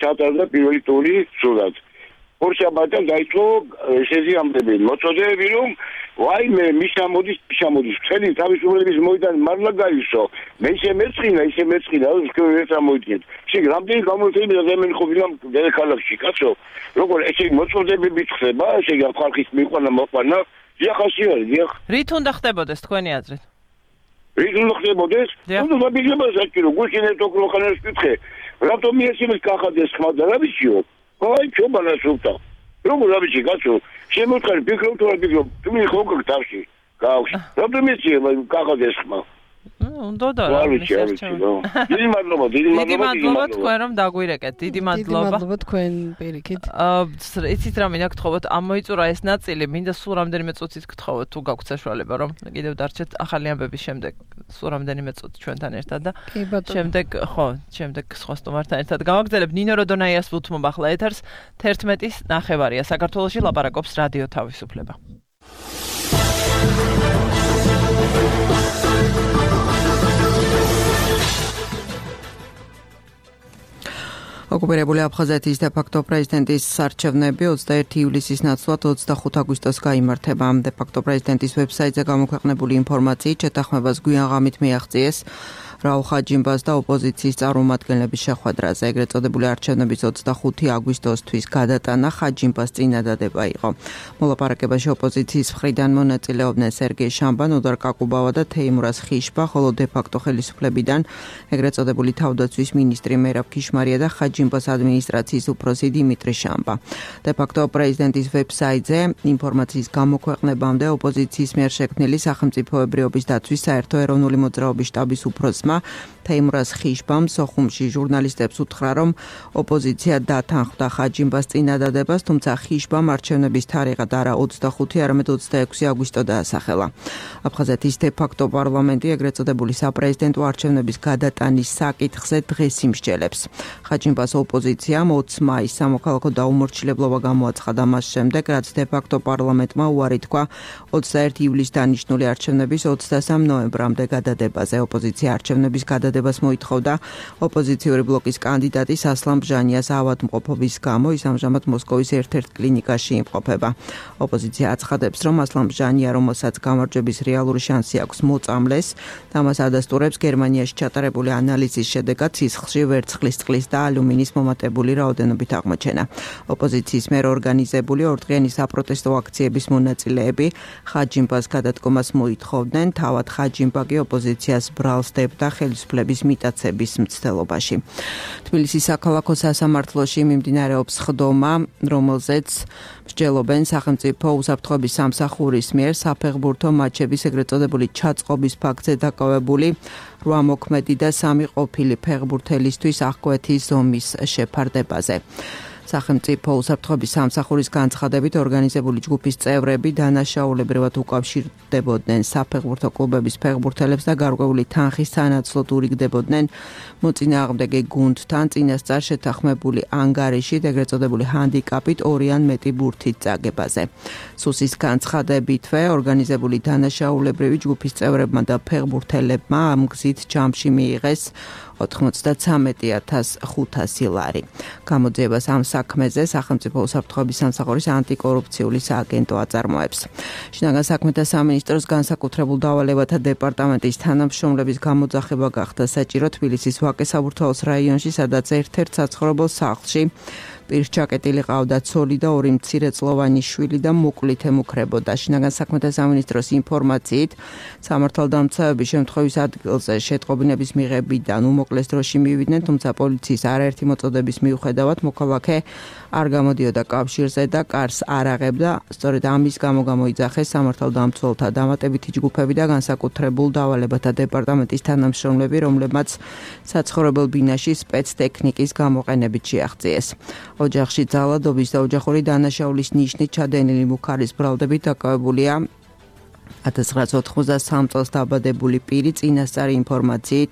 ჩატარდა პირველი ტური სულად. ორშაბათიდან დაიწყო შეზიამბები, მოწოდებები რომ ვაიმე მიშამოდის მიშამოდის წელი თავისუფლების მოედანი მარლა გაისო მე ისე მეწყინა ისე მეწყინა ეს ამოიდგეთ შეგ რამდენი გამოიწვია და მე ხოვილა დედაქალაქში კაცო როგორ ესე მოწოდებები ხდება ესე ხალხის მიყვანა მოყვანა დიახასი არის დიახ რით უნდა ხდებოდეს თქვენი აზრით რით უნდა ხდებოდეს უნდა დაბიჯება საჭირო გუშინეთ ოქროხანას კითხე რატომ ისინი კახადეს ხმა და რა ვიციო აი ჩობანა სულტა როგორ რაბიჯი კაცო შემოთხარი ფიქრობ თუ არ ფიქრობ თუ მე ხო გქთავში გავში რატომ ისე კახადეს ხმა უნდა და რა დიდი მადლობა დიდი მადლობა თქვენ რომ დაგვირეკეთ დიდი მადლობა დიდი მადლობა თქვენ პირიქით აა იცით რა მინდა გთხოვოთ ამოიწურა ეს ნაწილი მინდა სულ რამდენიმე წუთით გთხოვოთ თუ გაგვთ საშუალება რომ კიდევ დარჩეთ ახალი ამბების შემდეგ სულ რამდენიმე წუთი ჩვენთან ერთად და შემდეგ ხო შემდეგ სხვა სტუმართან ერთად გავაგზავნებ ნინო როდონაიას ვუთმობ ახლა ეთერს თერთმეტის ნახევარია საქართველოში ლაპარაკობს რადიო თავისუფლება ოკუპირებული აფხაზეთის დე-ფაქტო პრეზიდენტის არჩევნები ოცდაერთი ივლისის ნაცვლად ოცდახუთ აგვისტოს გაიმართება. დე-ფაქტო პრეზიდენტის ვებსაიტზე გამოქვეყნებული ინფორმაციით შეთანხმებას გვიან ღამით მიაღწიეს რაულ ხაჯიმბას და ოპოზიციის წარმომადგენლების შეხვედრაზე. ეგრეთ წოდებული არჩევნების ოცდახუთი აგვისტოსთვის გადატანა ხაჯიმბას წინადადება იყო. მოლაპარაკებაში ოპოზიციის მხრიდან მონაწილეობდნენ სერგეი შამბა, ნოდარ კაკუბავა და თეიმურაზ ხიშბა, ხოლო დე-ფაქტო ხელისუფლებიდან ეგრეთ წოდებული თავდაცვის მინისტრი მერაბ ქიშმარია და ხაჯიმბას ადმინისტრაციის უფროსი დიმიტრი შამბა. დე-ფაქტო პრეზიდენტის ვებსაიტზე ინფორმაციის გამოქვეყნებამდე ოპოზიციის მიერ შექმნილი სახელმწიფოებრიობის დაცვის საერთო ეროვნული მოძრაობის შტაბის უფროსმა თეიმურაზ ხიშბამ სოხუმში ჟურნალისტებს უთხრა, რომ ოპოზიცია დათანხმდა ხაჯიმბას წინადადებას, თუმცა ხიშბამ არჩევნების თარიღად არა ოცდახუთი, არამედ ოცდაექვსი აგვისტო დაასახელა. აფხაზეთის დე-ფაქტო პარლამენტი ეგრეთ წოდებული საპრეზიდენტო არჩევნების გადატანის საკითხზე დღეს იმსჯელებს. ხაჯიმბას ოპოზიციამ ოცი მაისს სამოქალაქო დაუმორჩილებლობა გამოაცხადა მას შემდეგ, რაც დე-ფაქტო პარლამენტმა უარი თქვა ოცდაერთი ივლისს დანიშნული არჩევნების ოცდასამ ნოემბრამდე გადადებაზე. ოპოზიცია არჩევნების გადადებას მოითხოვდა ოპოზიციური ბლოკის კანდიდატის ასლან ბჟანიას ავადმყოფობის გამო, ის ამჟამად მოსკოვის ერთ-ერთ კლინიკაში იმყოფება. ოპოზიცია აცხადებს, რომ ასლან ბჟანია, რომელსაც გამარჯვების რეალური შანსი აქვს მოწამლეს, და მას ადასტურებს გერმანიაში ჩატარებული ანალიზის შედეგად სისხლში ვერცხლის წყლის და ალუმინის მომატებული რაოდენობით აღმოჩენა. ოპოზიციის მიერ ორგანიზებული ორდღიანი საპროტესტო აქციების მონაწილეები ხაჯიმბას გადადგომას მოითხოვდნენ, თავად ხაჯიმბა კი ოპოზიციას ბრალს დებდა ხელისუფლების მიტაცების მცდელობაში. თბილისის საქალაქო სასამართლოში მიმდინარეობს ხდომა, რომელზეც მსჯელობენ სახელმწიფო უსაფრთხოების სამსახურის მიერ საფეხბურთო მატჩების ეგრეთ წოდებული ჩაწყობის ფაქტზე დაკავებული რვა მოქმედი და სამი ყოფილი ფეხბურთელისთვის აღკვეთის ზომის შეფარდებაზე. სახელმწიფო უსაფრთხოების სამსახურის განცხადებით ორგანიზებული ჯგუფის წევრები დანაშაულებრივად უკავშირდებოდნენ საფეხბურთო კლუბების ფეხბურთელებს და გარკვეული თანხის სანაცვლოდ ურიგდებოდნენ მოწინააღმდეგე გუნდთან წინასწარ შეთანხმებული ანგარიშით ეგრეთ წოდებული ჰანდიკაპით ორი ან მეტი ბურთით წაგებაზე. სუსის განცხადებითვე ორგანიზებული დანაშაულებრივი ჯგუფის წევრებმა და ფეხბურთელებმა ამ გზით ჯამში მიიღეს ოცდათვრამეტი ათას ხუთასი ლარი. გამოძიებას ამ საქმეზე სახელმწიფო უსაფრთხოების სამსახურის ანტიკორუფციული სააგენტო აწარმოებს. შინაგან საქმეთა სამინისტროს განსაკუთრებულ დავალებათა დეპარტამენტის თანამშრომლების გამოძახება გახდა საჭირო თბილისის ვაკე-საბურთალოს რაიონში, სადაც ერთ-ერთ საცხოვრებელ სახლში პირჩაკეტილი ყავდა ცოლი და ორი მცირეწლოვანი შვილი და მოკლით ემუქრებოდა. შინაგან საქმეთა სამინისტროს ინფორმაციით, სამართალდამცავები შემთხვევის ადგილზე შეტყობინების მიღებიდან უმოკლეს დროში მივიდნენ, თუმცა პოლიციის არაერთი მოწოდების მიუხედავად მოქალაქე არ გამოდიოდა კავშირზე და კარს არ აღებდა. სწორედ ამის გამო გამოიძახეს სამართალდამცველთა დამატებითი ჯგუფები და განსაკუთრებულ დავალებათა დეპარტამენტის თანამშრომლები, რომლებმაც საცხოვრებელ ბინაში სპეცტექნიკის გამოყენებით შეაღწიეს. ოჯახში ძალადობის და ოჯახური დანაშაულის ნიშნით ჩადენილი მუხარის ბრალდებით დაკავებულია ათას ცხრაასი ოთხმოცდასამ წელს დაბადებული პირი, წინასწარი ინფორმაციით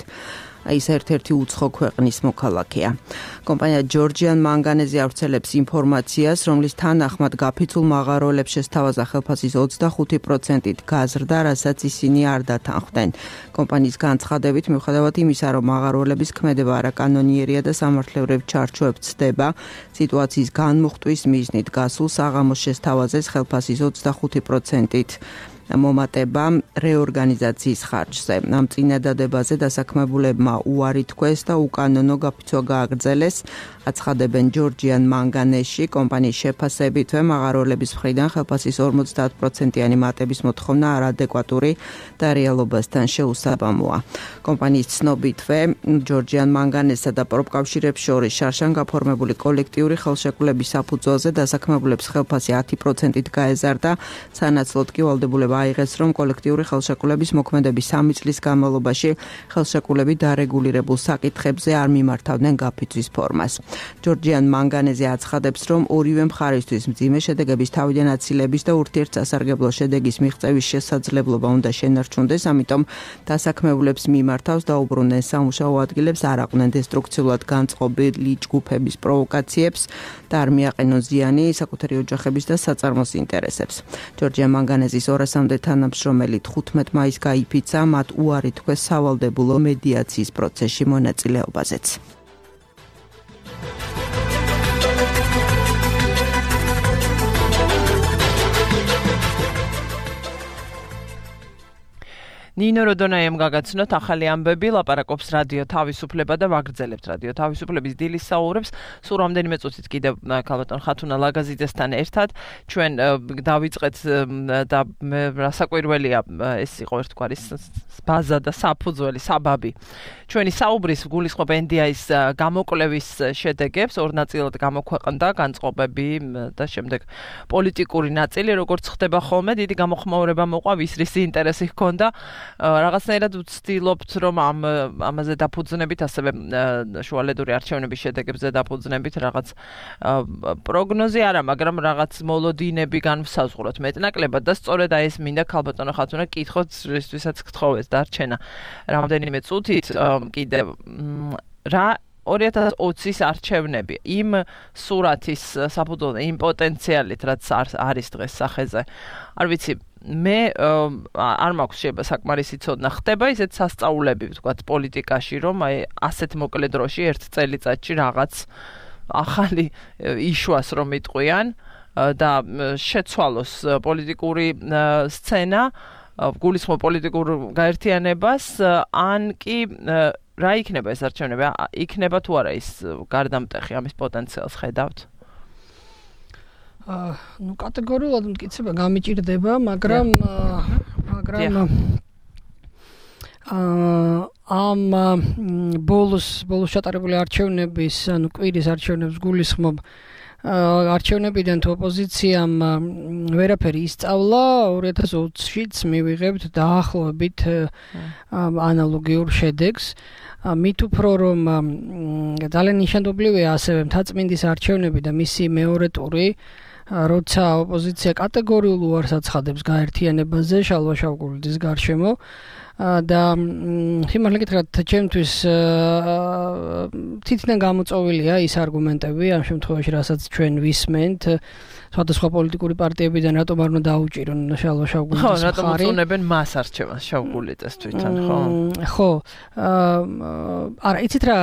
ის ერთ-ერთი უცხო ქვეყნის მოქალაქეა. კომპანია ჯორჯიან მანგანეზი ავრცელებს ინფორმაციას, რომლის თანახმად გაფიცულ მაღაროელებს შესთავაზა ხელფასის ოცდახუთი პროცენტით გაზრდა, რასაც ისინი არ დათანხმდნენ. კომპანიის განცხადებით, მიუხედავად იმისა, რომ მაღაროელების ქმედება არაკანონიერია და სამართლებრივ ჩარჩოებს ცდება, სიტუაციის განმუხტვის მიზნით გასულ საღამოს შესთავაზეს ხელფასის ოცდახუთი პროცენტით მომატება რეორგანიზაციის ხარჯზე. ამ წინადადებაზე დასაქმებულებმა უარი თქვეს და უკანონო გაფიცვა გააგრძელეს. აცხადებენ ჯორჯიან მანგანეში კომპანიის შეფასებითვე მაღაროელების მხრიდან ხელფასის ორმოცდაათ პროცენტიანი მატების მოთხოვნა არადეკვატური და რეალობასთან შეუსაბამოა. კომპანიის ცნობითვე ჯორჯიან მანგანესსა და პროფკავშირებს შორის შარშან გაფორმებული კოლექტიური ხელშეკრულების საფუძველზე დასაქმებულებს ხელფასი ათი პროცენტით გაეზარდა, სანაცვლოდ კი ვალდებულება აიღეს, რომ კოლექტიური ხელშეკრულების მოქმედების სამი წლის განმავლობაში ხელშეკრულები დარეგულირებულ საკითხებზე არ მიმართავდნენ გაფიცვის ფორმას. ჯორჯიან მანგანეზე აცხადებს, რომ ორივე მხარისთვის მძიმე შედეგების თავიდან აცილების და ურთიერთსასარგებლო შედეგის მიღწევის შესაძლებლობა უნდა შენარჩუნდეს, ამიტომ დასაქმებულებს მიმართავს და უბრუნեն სამუშაო ადგილებს, არ აყვნენ დესტრუქციულად განწყობილი ჯგუფების პროვოკაციებს და არ მიაყენონ ზიანი საკუთარი ოჯახების და საწარმოს ინტერესებს. ჯორჯიან მანგანეზის ორასამდე თანამშრომელი თხუთმეტ მაისს გაიფიცა, მათ უარი თქვეს სავალდებულო მედიაციის პროცესში მონაწილეობაზეც. ნინო როდონაიამ გაგაცნოთ ახალი ამბები, ლაპარაკობს რადიო თავისუფლება და ვაგრძელებთ რადიო თავისუფლების დილის საუბრებს. სულ რამდენიმე წუთით კიდევ ქალბატონ ხათუნა ლაგაზიძესთან ერთად ჩვენ დავიწყეთ და რასაკვირველია ეს იყო ერთგვარი ბაზა და საფუძველი, საბაბი. ჩვენი საუბრის გულისხმობ ენ დი აის გამოკვლევის შედეგებს, ორ ნაწილად გამოქვეყნდა განწყობები და შემდეგ პოლიტიკური ნაწილი, როგორც ხდება ხოლმე, დიდი გამოხმაურება მოყვა, ვის რის ინტერესი ჰქონდა. რაღაცნაირად ვცდილობთ, რომ ამ ამაზე დაფუძნებით, ასევე შუალედური არჩევნების შედეგებზე დაფუძნებით რაღაც პროგნოზი არა, მაგრამ რაღაც მოლოდინები განვსაზღვროთ მეტნაკლებად და სწორედ აი ეს მინდა ქალბატონო ხათუნა კითხოთ, რისთვისაც გთხოვეს დარჩენა რამდენიმე წუთით კიდევ რა ორი ათას ოცის არჩევნები იმ სურათის საფუძველზე, იმ პოტენციალით, რაც არის დღეს სახეზე. არ ვიცი, მე არ მაქვს შეიძლება საკმარისი ცოდნა, ხდება ისეთ სასწაულები, ვთქვათ, პოლიტიკაში, რომ აი ასეთ მოკლე დროში ერთ წელიწადში რაღაც ახალი იშვას რომ იტყვიან და შეცვალოს პოლიტიკური სცენა, გულისხმობ პოლიტიკურ გაერთიანებას, ან კი რა იქნება ეს არჩევნები? იქნება თუ არა ის გარდამტეხი, ამის პოტენციალს ხედავთ? აა, ну კატეგორიულად მტკიცება გამიჭირდება, მაგრამ მაგრამ აა ამ ბოლოს ბოლოს ჩატარებული არჩევნების, ანუ კვირის არჩევნებს გულისხმობ არჩევნებიდან თუ ოპოზიციამ ვერაფერი ისწავლა, ორი ათას ოცშიც მივიღებთ დაახლოებით ანალოგიურ შედეგს. მით უფრო რომ ძალიან ნიშანდობლივია ასევე მთაწმინდის არჩევნები და მისი მეორე ტური, როცა ოპოზიცია კატეგორიულ უარს აცხადებს გაერთიანებაზე შალვა-შავკულიძის გარშემო და სიმართლე გითხრათ, ჩემთვის თითქმის გამოწვეულია ის არგუმენტები, ამ შემთხვევაში რასაც ჩვენ ვისმენთ, სხვადასხვა პოლიტიკური პარტიებიდან რატომ არ უნდა დაუჭირონ შალვა-შავკულიძის მხარი. ხო, რატომ უწუნებენ მას არჩევანს შავკულიძეს თვითონ, ხო? ხო. არა, იცით რა,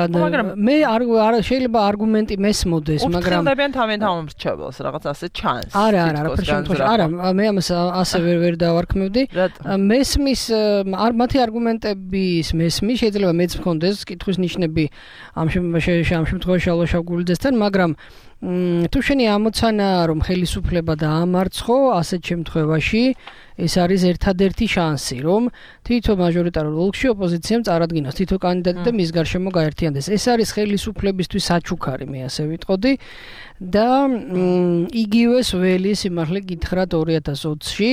მე არ შეიძლება არგუმენტი მესმოდეს, მაგრამ უფრთხილდებიან თავენ თავმრჩეველს, რაღაც ასე ჩანს. არა, არა, რა შემთხვევაში, არა, მე ამას ასე ვერ ვერ დავარქმევდი. მესმის მათი არგუმენტების მესმის შეიძლება მეც მქონდეს კითხვის ნიშნები ამ შემთხვევაში შალვა-შავკულიძესთან, მაგრამ თუ შენი ამოცანაა, რომ ხელისუფლება დაამარცხო, ასეთ შემთხვევაში ეს არის ერთადერთი შანსი, რომ თითო მაჟორიტარულ ოლქში ოპოზიციამ წარადგინოს თითო კანდიდატი და მის გარშემო გაერთიანდეს. ეს არის ხელისუფლებისთვის საჩუქარი, მე ასე ვიტყოდი და იგივეს ველი სიმართლე გითხრათ ორი ათას ოცში,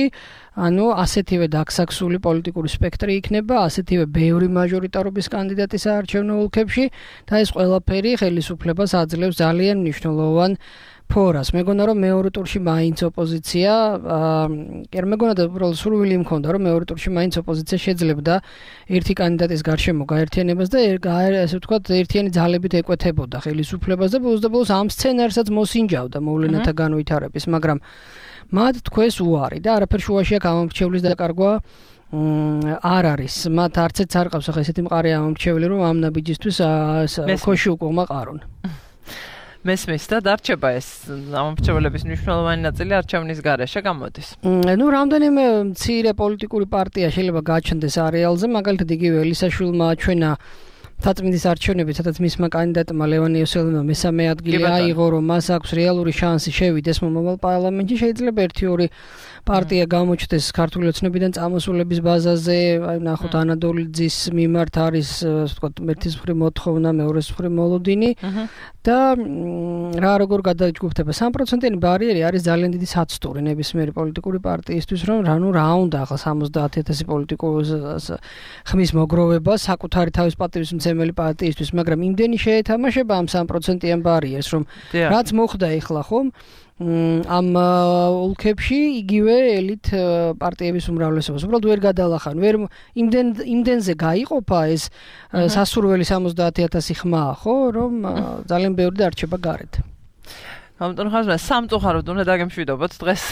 ანუ ასეთივე დაქსაქსული პოლიტიკური სპექტრი იქნება, ასეთივე ბევრი მაჟორიტარობის კანდიდატი საარჩევნო ოლქებში და ეს ყველაფერი ხელისუფლებას აძლევს ძალიან მნიშვნელოვან ფორას. მეგონა რომ მეორე ტურში მაინც ოპოზიცია, კი არ მეგონა და უბრალოდ სურვილი მქონდა, რომ მეორე ტურში მაინც ოპოზიცია შეძლებდა ერთი კანდიდატის გარშემო გაერთიანებას და ასე ვთქვათ, ერთიანი ძალებით ეკვეთებოდა ხელისუფლებას და ბოლოს და ბოლოს ამ სცენარსაც მოსინჯავდა მოვლენათა განვითარების, მაგრამ მათ თქვეს უარი და არაფერ შუაში აქ ამომრჩევლის დაკარგვა არ არის. მათ არც ერთ არ ყავს ახლა ესეთი მყარი ამომრჩეველი, რომ ამ ნაბიჯისთვის ქოში უკუღმა ყარონ. მესმის და დარჩება ეს ამორჩევლების მნიშვნელოვანი ნაწილი არჩევნის გარეშე გამოდის. ნუ რამდენიმე მცირე პოლიტიკური პარტია შეიძლება გაჩნდეს არეალზე, მაგალითად იგივე ელისაშვილმა აჩვენა თაწმინდის არჩევნებით, სადაც მისმა კანდიდატმა ლევან იოსელმა მესამე ადგილი აიღო, რომ მას აქვს რეალური შანსი შევიდეს მომავალ პარლამენტში, შეიძლება ერთი ორი პარტია გამოჩნდეს ქართული ოცნებიდან წამოსულების ბაზაზე, აი ნახოთ ანადოლიძის მიმართ არის, ასე ვთქვათ, ერთის მხრივ მოთხოვნა, მეორეს მხრივ მოლოდინი და რა როგორ გადაჯგუფდება სამი პროცენტიანი ბარიერი არის ძალიან დიდი საცდური ნებისმიერი პოლიტიკური პარტიისთვის, რომ რა ნუ რა უნდა ახლა სამოცდაათი ათასი პოლიტიკოს ხმის მოგროვება საკუთარი თავის პატივისმცემელი პარტიისთვის, მაგრამ იმდენი შეეთამაშება ამ სამი პროცენტიან ბარიერს, რომ რაც მოხდა ეხლა ხომ ამ ოლქებში იგივე ელით პარტიების უმრავლესობას უბრალოდ ვერ გადალახან, ვერ იმდენ იმდენზე გაიყოფა ეს სასურველი სამოცდაათი ათასი ხმა, ხო, რომ ძალიან ბევრი დარჩება გარეთ. ამიტომ ხაზმა სამწუხაროდ უნდა დაგემშვიდობოთ დღეს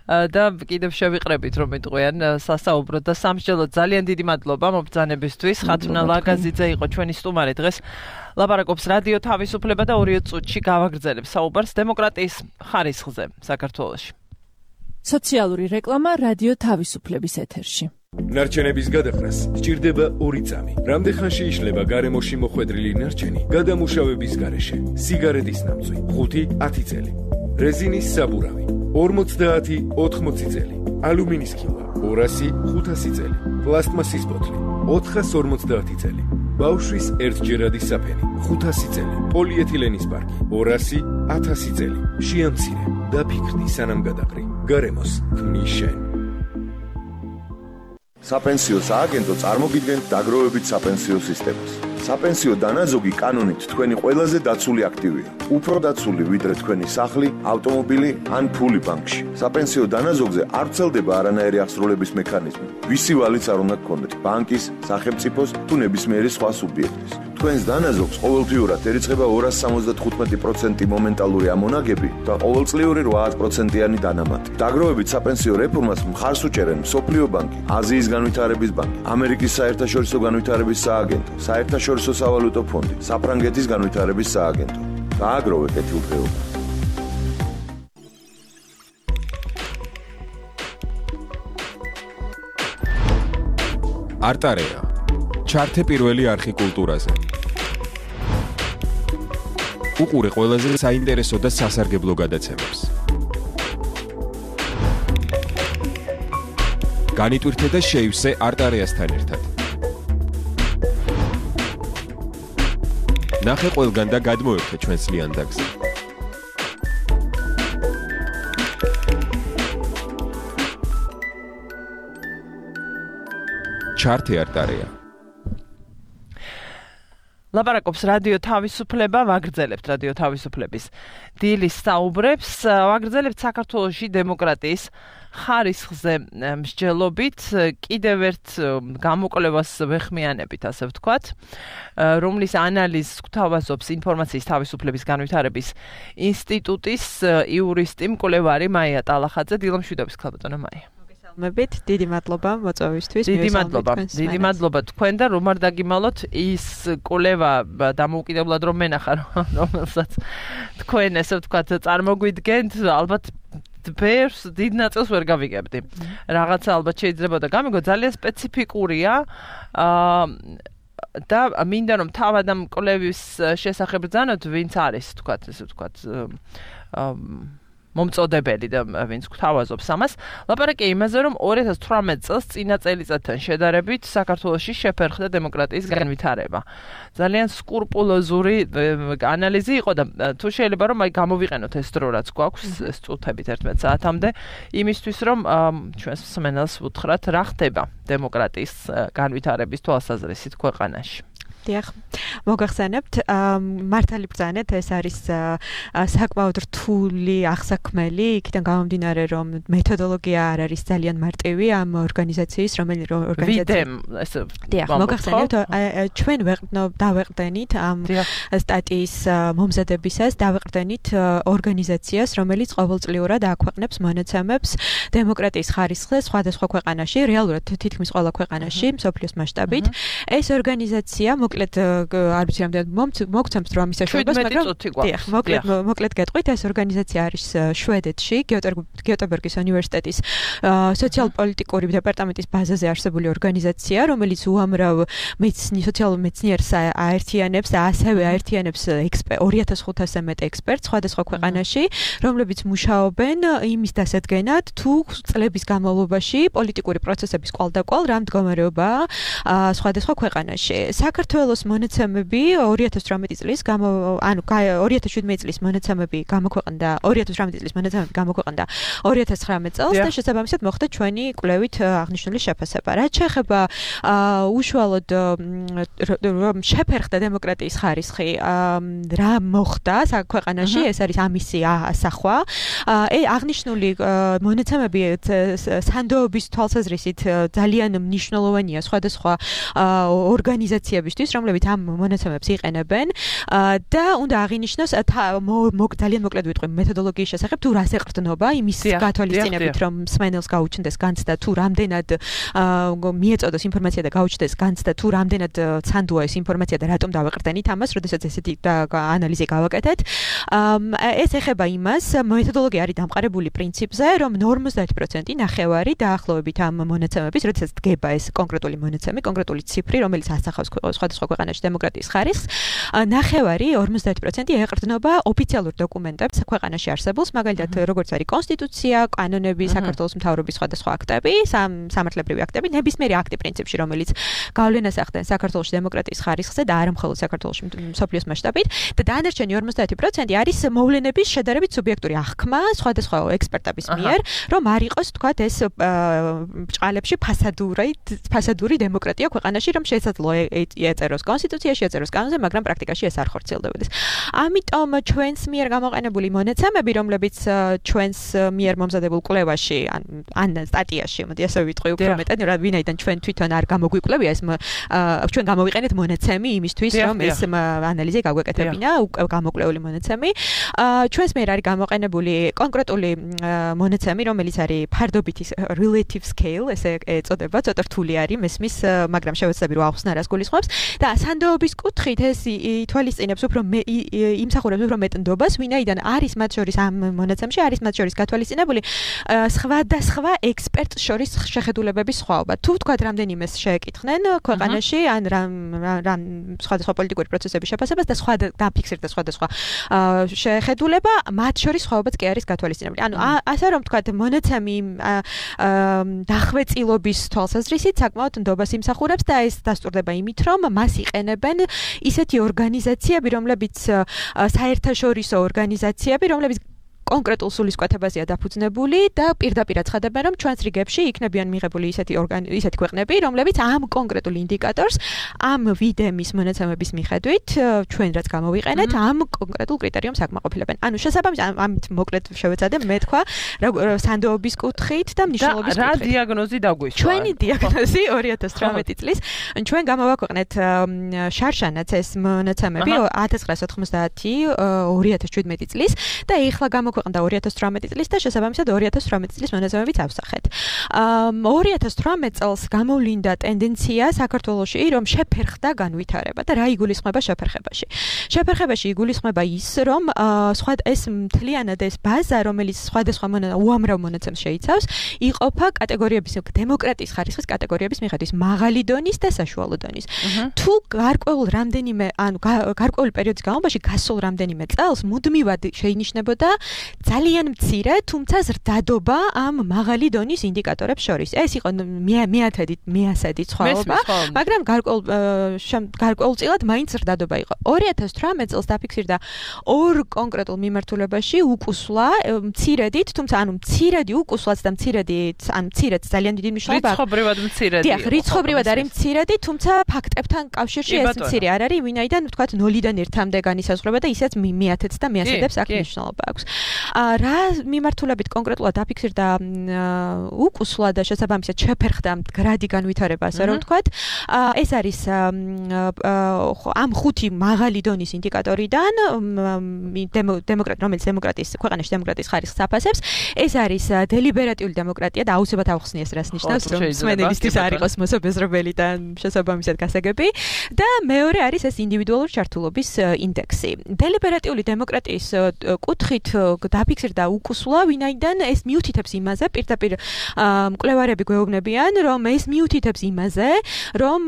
და კიდევ შევიყრებით რომ იტყვიან სასაუბროდ და სამსჯელოდ ძალიან დიდი მადლობა მობრძანებისთვის. ხათუნა ლაგაზიძე იყო ჩვენი სტუმარი დღეს. ლაპარაკობს რადიო თავისუფლება და ორი წუთში გავაგრძელებს საუბარს დემოკრატიის ხარისხზე საქართველოში. სოციალური რეკლამა რადიო თავისუფლების ეთერში. ნარჩენების გადახრას სჭირდება ორი წამი. რამდენხანში იშლება გარემოში მოხვედრილი ნარჩენი გადამუშავების გარეშე? სიგარეტის ნამწვი ხუთი ათი წელი, რეზინის საბურავი ორმოცდაათი ოთხმოცი წელი, ალუმინის ქილა ორასი ხუთასი წელი, პლასტმასის ბოთლი ოთხას ორმოცდაათი წელი, ბავშვის ერთჯერადი საფენი ხუთასი წელი, პოლიეთილენის პარკი ორასი ათასი წელი. შეამცირე და ფიქრდი სანამ გადაყრი. გარემოს ქმნის შენ. საპენსიო სააგენტო წარმოგიდგენთ დაგროვებით საპენსიო სისტემას. საპენსიო დანაზოგი კანონით თქვენი ყველაზე დაცული აქტივია. უფრო დაცული ვიდრე თქვენი სახლი, ავტომობილი ან ფული ბანკში. საპენსიო დანაზოგზე არ ვრცელდება არანაირი აღსრულების მექანიზმი. ვისი ვალიც არ უნდა გქონდეთ, ბანკის, სახელმწიფოს თუ ნებისმიერი სხვა სუბიექტის. თქვენს დანაზოგს ყოველთვიურად ერიცხება ორასი სამოცდათხუთმეტი პროცენტი მომენტალური ამონაგები და ყოველწლიური რვა პროცენტიანი დანამატი. დაგროვებით საპენსიო რეფორმას მხარს უჭერენ მსოფლიო ბანკი, აზიის განვითარების ბანკი, ამერიკის საერთაშორისო განვითარების სააგენტო, საერთაშორისო სავალუტო ფონდი, საფრანგეთის განვითარების სააგენტო. გააგროვე კეთილდღეობა. არტარეა. ჩართე პირველი არხი კულტურაზე. უყურე ყველაზე საინტერესო და სასარგებლო გადაცემებს. განიტვირთე და შეივსე არტარეასთან ერთად. ნახე ყველგან და გადმოერთე ჩვენს ლიანდაგზე. ჩართე არტარეა. ლაპარაკობს რადიო თავისუფლება, ვაგრძელებთ რადიო თავისუფლების დილის საუბრებს, ვაგრძელებთ საქართველოში დემოკრატიის ხარისხზე მსჯელობით, კიდევ ერთ გამოკვლევას ვეხმიანებით, ასე ვთქვათ, რომლის ანალიზს გვთავაზობს ინფორმაციის თავისუფლების განვითარების ინსტიტუტის იურისტი მკვლევარი მაია ტალახაძე. დილამშვიდობის ქალბატონო მაია. მებით დიდი მადლობა მოწვევისთვის. დიდი მადლობა. დიდი მადლობა თქვენ და რომ არ დაგიმალოთ ის კვლევა დამოუკიდებლად რომ მენახა რომელსაც თქვენ ესე ვთქვათ წარმოგვიდგენთ, ალბათ ბევრს დიდ ნაწილს ვერ გავიგებდი. რაღაცა ალბათ შეიძლება და გამიგო ძალიან სპეციფიკურია და მინდა რომ თავად ამ კვლევის შესახებ ბრძანოთ, ვინც არის ვთქვათ ესე ვთქვათ მომწოდებელი და ვინც გვთავაზობს ამას. ლაპარაკია იმაზე, რომ ორი ათას თვრამეტ წელს წინა წელიწადთან შედარებით საქართველოში შეფერხდა დემოკრატიის განვითარება. ძალიან სკრუპულოზური ანალიზი იყო და თუ შეიძლება რომ აი გამოვიყენოთ ეს დრო რაც გვაქვს, ეს წუთებით ერთმეტ საათამდე, იმისთვის რომ ჩვენს მსმენელს ვუთხრათ რა ხდება დემოკრატიის განვითარების თვალსაზრისით ქვეყანაში. დიახ, მოგახსენებთ, მართალი ბრძანეთ, ეს არის საკმაოდ რთული აღსაქმელი, იქიდან გამომდინარე, რომ მეთოდოლოგია არ არის ძალიან მარტივი ამ ორგანიზაციის, რომელიც ორგანიზაცია. დიახ, მოგახსენებთ, ჩვენ დავეყრდენით ამ სტატიის მომზადებისას, დავეყრდენით ორგანიზაციას, რომელიც ყოველწლიურად აქვეყნებს მონაცემებს დემოკრატიის ხარისხზე სხვადასხვა ქვეყანაში, რეალურად თითქმის ყველა ქვეყანაში, მსოფლიოს მასშტაბით. ეს ორგანიზაცია მოკლედ არ ვიცი რამდენად მოგცემთ რომ ამის საშუალებას, მაგრამ დიახ, მოკლედ მოკლედ გეტყვით, ეს ორგანიზაცია არის შვედეთში, გიოტებორგის უნივერსიტეტის სოციალ-პოლიტიკური დეპარტამენტის ბაზაზე არსებული ორგანიზაცია, რომელიც უამრავ მეცნი სოციალურ მეცნიერს აერთიანებს და ასევე აერთიანებს ორი ათას ხუთასზე მეტ ექსპერტს სხვადასხვა ქვეყანაში, რომლებიც მუშაობენ იმის დასადგენად, თუ წლების განმავლობაში პოლიტიკური პროცესების კვალდაკვალ რა მდგომარეობაა სხვადასხვა ქვეყანაში. საქართველოს მონაცემები ორი ათას ოცდაოთხ წლის გამო ანუ ორი ათას შვიდმეტი წლის მონაცემები გამოქვეყნდა ორი ათას ოცდაშვიდი წლის მონაცემები გამოქვეყნდა ორი ათას ცხრამეტ წელს და შესაბამისად მოხდა ჩვენი კვლევით აღნიშნული შეფასება. რაც შეეხება უშუალოდ რომ შეფერხდა დემოკრატიის ხარისხი რა მოხდა ქვეყანაში, ეს არის ამისი ასახვა. აღნიშნული მონაცემები სანდოობის თვალსაზრისით ძალიან მნიშვნელოვანია სხვადასხვა ორგანიზაციებისთვის, რომლებიც ამ მონაცემებს იყენებენ და უნდა აღინიშნოს ძალიან მოკლედ ვიტყვი მეთოდოლოგიის შესახებ, თუ რას ეყრდნობა იმის გათვალისწინებით, რომ მსმენელს გაუჩნდეს განცდა, თუ რამდენად მიეწოდოს ინფორმაცია და გაუჩნდეს განცდა, თუ რამდენად ცანდოა ეს ინფორმაცია და რატომ დავეყრდენით ამას, როდესაც ესეთი ანალიზი გავაკეთეთ. ეს ეხება იმას, მეთოდოლოგია არის დამყარებული პრინციპზე, რომ ორმოცდაათი პროცენტი ნახევარი დაახლოებით ამ მონაცემების, როდესაც დგება ეს კონკრეტული მონაცემი, კონკრეტული ციფრი, რომელიც ასახავს სხვადასხვა ქვეყანაში დემოკრატიის ხარისხს, ნახევარი ორმოცდაათი პროცენტი ეყრდნობა ოფიციალურ დოკუმენტებს ქვეყანაში არსებულს, მაგალითად, როგორც არის კონსტიტუცია, კანონები, საქართველოს მთავრობის სხვადასხვა აქტები, სამართლებრივი აქტები, ნებისმიერი აქტი პრინციპში, რომელიც გავლენას ახდენს საქართველოს დემოკრატიის ხარისხზე და არა მხოლოდ საქართველოს მსოფლიოს მასშტაბით და დანარჩენი ორმოცდაათი პროცენტი არის მოვლენების შედარებით სუბიექტური აღქმა სხვადასხვა ექსპერტების მიერ, რომ არ იყოს თქვათ ეს ბჭყალებში ფასადური ფასადური დემოკრატია ქვეყანაში, რომ შესაძლოა ეწეროს კონსტიტუციაში, ეწეროს კანონზე, მაგრამ პრაქტიკაში ეს არ ხორციელდებოდეს. ამიტომ ჩვენს მიერ გამოყენებული მონაცემები, რომლებიც ჩვენს მიერ მომზადებულ კვლევაში ან სტატიაში, მოდი ასე ვიტყვი უფრო მეტად, ვინაიდან ჩვენ თვითონ არ გამოგვიკვლევია ეს ჩვენ გამოვიყენეთ მონაცემი იმისთვის, რომ ეს ანალიზი გაგვეკეთებინა, გამოკვლეული მონაცემი. ჩვენს მიერ არის გამოყენებული კონკრეტული მონაცემი, რომელიც არის ფარდობითი relative scale, ესე ეწოდება, ცოტა რთული არის მესმის, მაგრამ შევეცდები რომ ახსნა რას გულისხმობს და სანდოობის კუთხით ეს ითვალისწინებს უფრო იმსახურებს უფრო მეტ ნდობას, ვინაიდან არის მათ შორის ამ მონაცემში არის მათ შორის გათვალისწინებული სხვადასხვა ექსპერტს შორის შეხედულებების სხვაობა. თუ თქვათ რამდენიმეს შეეკითხნენ ქვეყანაში ან რამ სხვადასხვა პოლიტიკური პროცესების შეფასებას და სხვა დაფიქსირდა სხვადასხვა შეხედულება, მათ შორის სხვაობაც კი არის გათვალისწინებული. ანუ ასე რომ თქვათ მონაცემი დახვეწილობის თვალსაზრისით საკმაოდ ნდობას იმსახურებს და ეს დასტურდება იმით, რომ მას იყენებენ ისეთი ორგანიზაციები, რომლებიც საერთაშორისო ორგანიზაციები, რომლებიც კონკრეტულ სულისკვეთებაზეა დაფუძნებული და პირდაპირ აცხადებენ, რომ ჩვენს რიგებში იქნებიან მიღებული ისეთი ისეთი ქვეყნები, რომლებიც ამ კონკრეტულ ინდიკატორს, ამ ვიდემის მონაცემების მიხედვით, ჩვენ რაც გამოვიყენეთ, ამ კონკრეტულ კრიტერიუმს აკმაყოფილებენ. ანუ შესაბამისად, ამით მოკლედ შევეცადე მე თქვა, სანდოობის კუთხით და მნიშვნელობის კუთხით. რა დიაგნოზი დაგვიშვა? ჩვენი დიაგნოზი ორი ათას ოცდაოთხ წლის, ჩვენ გამოვაქვეყნეთ შარშანაც ეს მონაცემები ათას ცხრაას ოთხმოცდაათი ორი ათას შვიდმეტი წლის და ეხლა ქვეყნდა ორი ათას ოცდაოთხ წლის და შესაბამისად ორი ათას ოცდაოთხ წლის მონაცემებიც ავსახეთ. ორი ათას ოცდაოთხ წელს გამოვლინდა ტენდენცია საქართველოში, რომ შეფერხდა განვითარება და რა იგულისხმება შეფერხებაში. შეფერხებაში იგულისხმება ის, რომ სხვა ეს მთლიანად ეს ბაზა, რომელიც სხვადასხვა უამრავ მონაცემს შეიცავს, იყოფა კატეგორიების დემოკრატიის ხარისხის კატეგორიების მიხედვით მაღალი დონის და საშუალო დონის. თუ გარკვეულ რამდენიმე, ანუ გარკვეული პერიოდის განმავლობაში გასულ რამდენიმე წელს მუდმივად შეინიშნებოდა ძალიან მცირე, თუმცა ზრდადობა ამ მაღალი დონის ინდიკატორებს შორის. ეს იყო მეათედი, მეასედი ცხოველობა, მაგრამ გარკვეულ გარკვეულწილად მაინც ზრდადობა იყო. ორი ათას ოცდაოთხ წელს დაფიქსირდა ორ კონკრეტულ მიმართულებაში უკუსვლა, მცირედით, თუმცა ანუ მცირედი უკუსვლაც და მცირედი, ანუ მცირედს ძალიან დიდი მნიშვნელობა აქვს. რიცხობრივად მცირედი. დიახ, რიცხობრივად არის მცირედი, თუმცა ფაქტებთან კავშირში ეს მცირე არ არის, ვინაიდან ვთქვათ ნოლიდან ერთამდე განისაზღვრება და ისეც მეათედს და მეასედებს აქ მნიშვნელობა აქვს. რა მიმართულებით კონკრეტულად დაფიქსირდა უკუსლა და შესაბამისად შეფერხდა მდგრადი განვითარება, ასე რომ ვთქვათ. ეს არის ამ ხუთი მაღალი დონის ინდიკატორიდან დემოკრატ რომელიც დემოკრატიის ქვეყანაში დემოკრატიის ხარისხს აფასებს, ეს არის დელიბერატიული დემოკრატია და აუცილებლად ავხსნიეს რას ნიშნავს, რომ მსმენელისთვის არ იყოს მოსაბეზრებელი და შესაბამისად გასაგები და მეორე არის ეს ინდივიდუალური ჩართულობის ინდექსი. დელიბერატიული დემოკრატიის კუთხით დაფიქსირდა უკუსლა, ვინაიდან ეს მიუთითებს იმაზე, პირდაპირ მკვლევარები გვეუბნებიან, რომ ეს მიუთითებს იმაზე, რომ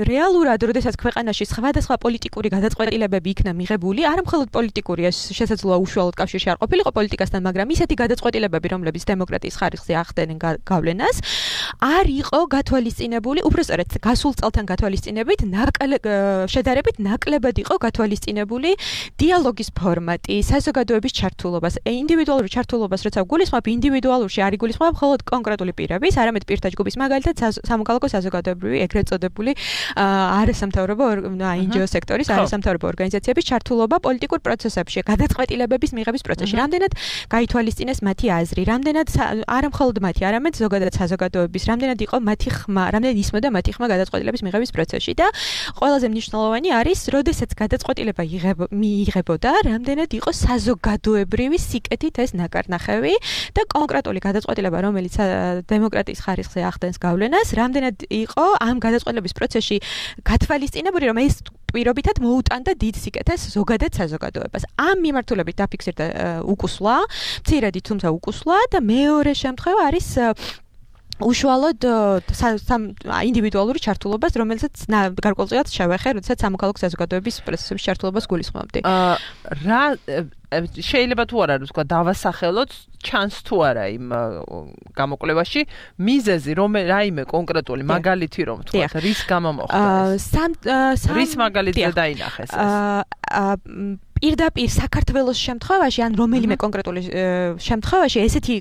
რეალურად, როდესაც ქვეყანაში სხვადასხვა პოლიტიკური გადაწყვეტილებები იქნა მიღებული, არ მხოლოდ პოლიტიკური, ეს შესაძლოა უშუალოდ კავშირში არ ყოფილიყო პოლიტიკასთან, მაგრამ ისეთი გადაწყვეტილებები, რომლებიც დემოკრატიის ხარისხზე ახდენენ გავლენას, არ იყო გათვალისწინებული, უბრალოდ გასულ წელთან გათვალისწინებით, შედარებით ნაკლებად იყო გათვალისწინებული დიალოგის ფორმატი, საზოგადოების ჩართულობას, ინდივიდუალური ჩართულობას, როცა გულისხმობ ინდივიდუალურში არ იგულისხმობ მხოლოდ კონკრეტული პირების, არამედ პირთა ჯგუფის, მაგალითად სამოქალაქო საზოგადოებრივი, ეგრეთ წოდებული არასამთავრობო აინ ჯი ო სექტორის არასამთავრობო ორგანიზაციების ჩართულობა პოლიტიკურ პროცესებში, გადაწყვეტილებების მიღების პროცესში. რამდენად გაითვალისწინეს მათი აზრი, რამდენად არა მხოლოდ მათი, არამედ ზოგადად საზოგადოების, რამდენად იყო მათი ხმა, რამდენად ისმოდა მათი ხმა გადაწყვეტილების მიღების პროცესში და ყველაზე მნიშვნელოვანი არის, როდესაც გადაწყვეტილება მიიღებოდა, რამდენად იყო საზოგადოებრივი სიკეთით ეს ნაკარნახევი და კონკრეტული გადაწყვეტილება, რომელიც დემოკრატიის ხარისხზე ახდენს გავლენას, რამდენად იყო ამ გადაწყვეტილების პროცესში გათვალისწინებული, რომ ეს პირობითად მოუტანდა დიდ სიკეთეს ზოგადად საზოგადოებას. ამ მიმართულებით დაფიქსირდა უკუსლა, მცირედი თუმცა უკუსლა და მეორე შემთხვევა არის უშუალოდ ინდივიდუალური ჩართულობას, რომელსაც გარკვეულწილად შევეხე, როდესაც სამოქალაქო საზოგადოების პროცესების ჩართულობას გულისხმობდი. რა შეიძლება თუ არა ვთქვა დავასახელოთ ჩანს თუ არა იმ გამოკვლევაში მიზეზი რომ რაიმე კონკრეტული მაგალითი რომ თქვა რის გამო მოხდა ეს რის მაგალითზე დაინახეს ეს პირდაპირ საქართველოს შემთხვევაში ან რომელიმე კონკრეტული შემთხვევაში ესეთი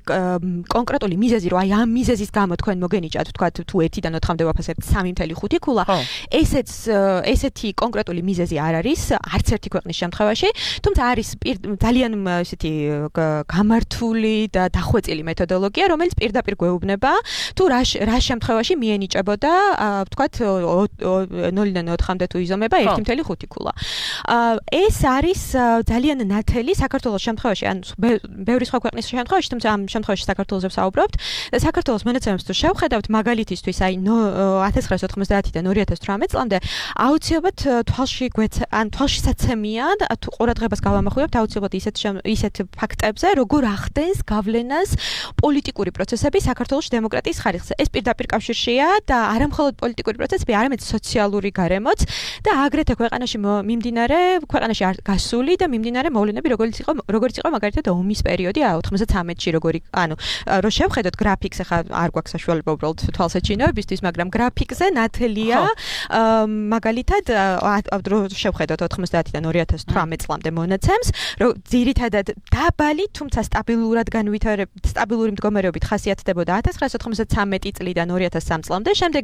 კონკრეტული მიზეზი რომ აი ამ მიზეზის გამო თქვენ მოგენიჭათ თქვა თუ ერთიდან ოთხამდე ვაფასებთ სამი ფული ხუთი ქულა ესეც ესეთი კონკრეტული მიზეზი არ არის არც ერთი ქვეყნის შემთხვევაში თუმცა არის ძალიან ესეთი გამართული და დახვეწილი მეთოდოლოგია რომელიც პირდაპირ გვეუბნება თუ რა რა შემთხვევაში მიენიჭებოდა თქვა ნულიდან ოთხამდე თუ იზომება ერთი ფული ხუთი ქულა ეს არის ძალიან ნათელი საქართველოს შემთხვევაში ან ბევრი სხვა ქვეყნის შემთხვევაში თუმცა ამ შემთხვევაში საქართველოსზე ვსაუბრობთ და საქართველოს მონაცემებს თუ შევხედავთ მაგალითისთვის აი ათას ცხრაას ოთხმოცდაათიდან ორი ათას თვრამეტ წლამდე აუცილებლად თვალში გვეც ან თვალში საცემია თუ ყურადღებას გავამახვილებთ აუცილებლად ისეთ ისეთ ფაქტებზე როგორ ახდენს გავლენას პოლიტიკური პროცესები საქართველოს დემოკრატიის ხარისხზე ეს პირდაპირ კავშირშია და არა მხოლოდ პოლიტიკური პროცესები არამედ სოციალური გარემოც და აგრეთვე ქვეყანაში მიმდინარე ქვეყანაში გასული და მიმდინარე მოვლენები როგორც იყო როგორც იყო მაგალითად ომის პერიოდი ოთხმოცდათრამეტში როგორი ანუ რო შევხედოთ გრაფიკს ახლა არ გვაქვს საშუალება უბრალოდ თვალსაჩინოებისთვის მაგრამ გრაფიკზე ნათელია მაგალითად რო შევხედოთ ოთხმოცდაათიდან ორი ათას თვრამეტ წლამდე მონაცემს რომ ძირითადად დაბალი თუმცა სტაბილურად განვითარებ სტაბილური მდგომარეობით ხასიათდებოდა ათას ცხრაას ოთხმოცდათრამეტი წლიდან ორი ათას სამი წლამდე შემდეგ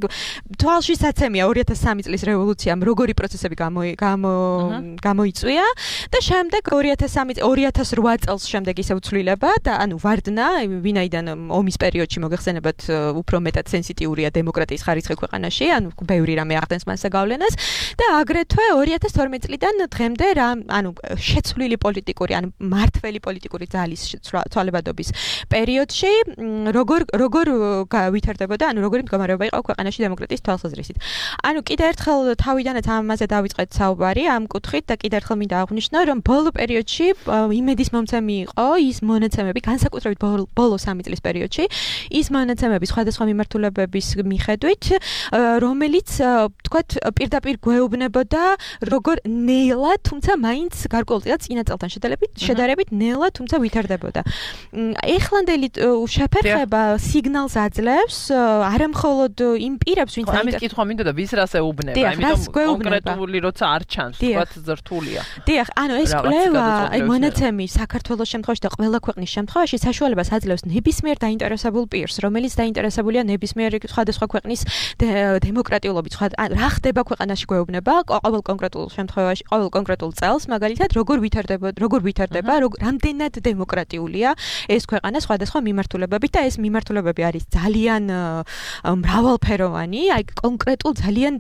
თვალში საცემია ორი ათას სამი წლის რევოლუციამ როგორი პროცესები გამოიწვია და შემდეგ ორი ათას სამი ორი ათას რვა წელს შემდეგ ისე უცვლილება და ანუ ვარდნა ვინაიდან ომის პერიოდში მოგეხსენებათ უფრო მეტად სენსიტიურია დემოკრატიის ხარისხი ქვეყანაში ანუ ბევრი რამე ახდენს მასზე გავლენას და აგრეთვე ორი ათას თორმეტ წლიდან დღემდე რა ანუ შეცვლილი პოლიტიკური ან მართველი პოლიტიკური ძალის ცვალებადობის პერიოდში როგორ როგორ ვითარდებოდა ანუ როგორი მდგომარეობა იყო ქვეყანაში დემოკრატიის თვალსაზრისით ანუ კიდე ერთხელ თავიდანაც ამაზე დავიწყეთ საუბარი ამ კუთხით და კიდე ერთხელ მინდა აღვნიშნო რომ ბოლო პერიოდში იმედის მომცემი იყო ის მონაცემები განსაკუთრებით ბოლო სამი წლის პერიოდში ის მონაცემები სხვადასხვა მიმართულებების მიხედვით რომელიც თქვათ პირდაპირ გვეუბნებოდა როგორ ნელა თუმცა მაინც გარკვეულწილად წინა წელთან შედარებით შედარებით ნელა თუმცა ვითარდებოდა ეხლანდელი შეფერხება სიგნალს აძლევს არა მხოლოდ იმ პირებს ვინც ამის კითხვა მინდოდა ვის რას ეუბნება ამიტომ კონკრეტული როცა არ ჩანს თქვათ ზრთულია დიახ ანუ ეს კვლევა, აი მონაცემი საქართველოს შემთხვევაში და ყველა ქვეყნის შემთხვევაში საშუალებას აძლევს ნებისმიერ დაინტერესებულ პირს, რომელიც დაინტერესებულია ნებისმიერ სხვადასხვა ქვეყნის დემოკრატიულობით, სხვა რა ხდება ქვეყანაში გვეუბნება ყოველ კონკრეტულ შემთხვევაში, ყოველ კონკრეტულ წელს, მაგალითად, როგორ ვითარდება, როგორ ვითარდება, რამდენად დემოკრატიულია ეს ქვეყანა სხვადასხვა მიმართულებებით და ეს მიმართულებები არის ძალიან მრავალფეროვანი, აი კონკრეტულ ძალიან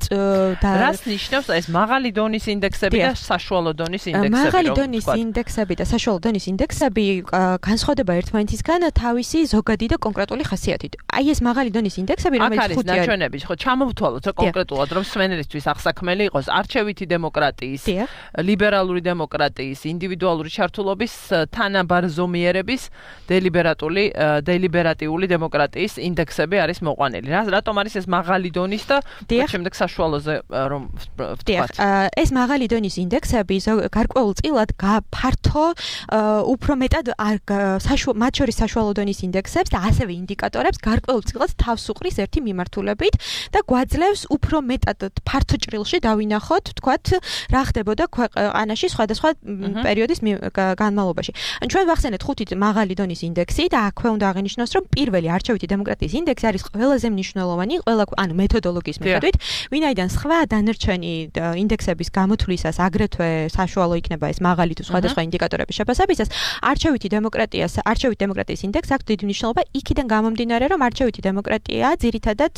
რას ნიშნავს ეს მაღალი დონის ინდექსები და საშუალო დონის ინდექსები? მაღალი დონის ინდექსები და საშუალო დონის ინდექსები განსხვავდება ერთმანეთისგან თავისი ზოგადი და კონკრეტული ხასიათით. აი ეს მაღალი დონის ინდექსები, რომელიც ხუთი არის ნაჩვენები, ხო, ჩამოვთვალოთ რა კონკრეტულად, რომ სვენელისთვის აღსაქმელი იყოს არჩევითი დემოკრატიის, ლიბერალური დემოკრატიის, ინდივიდუალური ჩართულობის, თანაბარზომიერების, დელიბერატული, დელიბერატიული დემოკრატიის ინდექსები არის მოყვანილი. რატომ არის ეს მაღალი დონის და შემდეგ საშუალოზე რომ ვთქვათ? ეს მაღალი დონის ინდექსები გარკვეულწილად ფართო უფრო მეტად მათ შორის საშუალო დონის ინდექსებს და ასევე ინდიკატორებს გარკვეულწილად თავს უყრის ერთი მიმართულებით და გვაძლევს უფრო მეტად ფართო ჭრილში დავინახოთ, ვთქვათ, რა ხდებოდა ქვეყანაში სხვადასხვა პერიოდის განმავლობაში. ან ჩვენ ვახსენეთ ხუთი მაღალი დონის ინდექსი და აქვე უნდა აღინიშნოს, რომ პირველი არჩევითი დემოკრატიის ინდექსი არის ყველაზე მნიშვნელოვანი, ყველა ანუ მეთოდოლოგიის მიხედვით, ვინაიდან სხვა დანარჩენი ინდექსების გამოთვლისას აგრეთვე საშუალო იქნება ეს მაღალი თუ სხვადასხვა ინდიკატორების შეფასებისას, არჩევითი დემოკრატიას, არჩევითი დემოკრატიის ინდექსს აქვს დიდი მნიშვნელობა იქიდან გამომდინარე, რომ არჩევითი დემოკრატია ძირითადად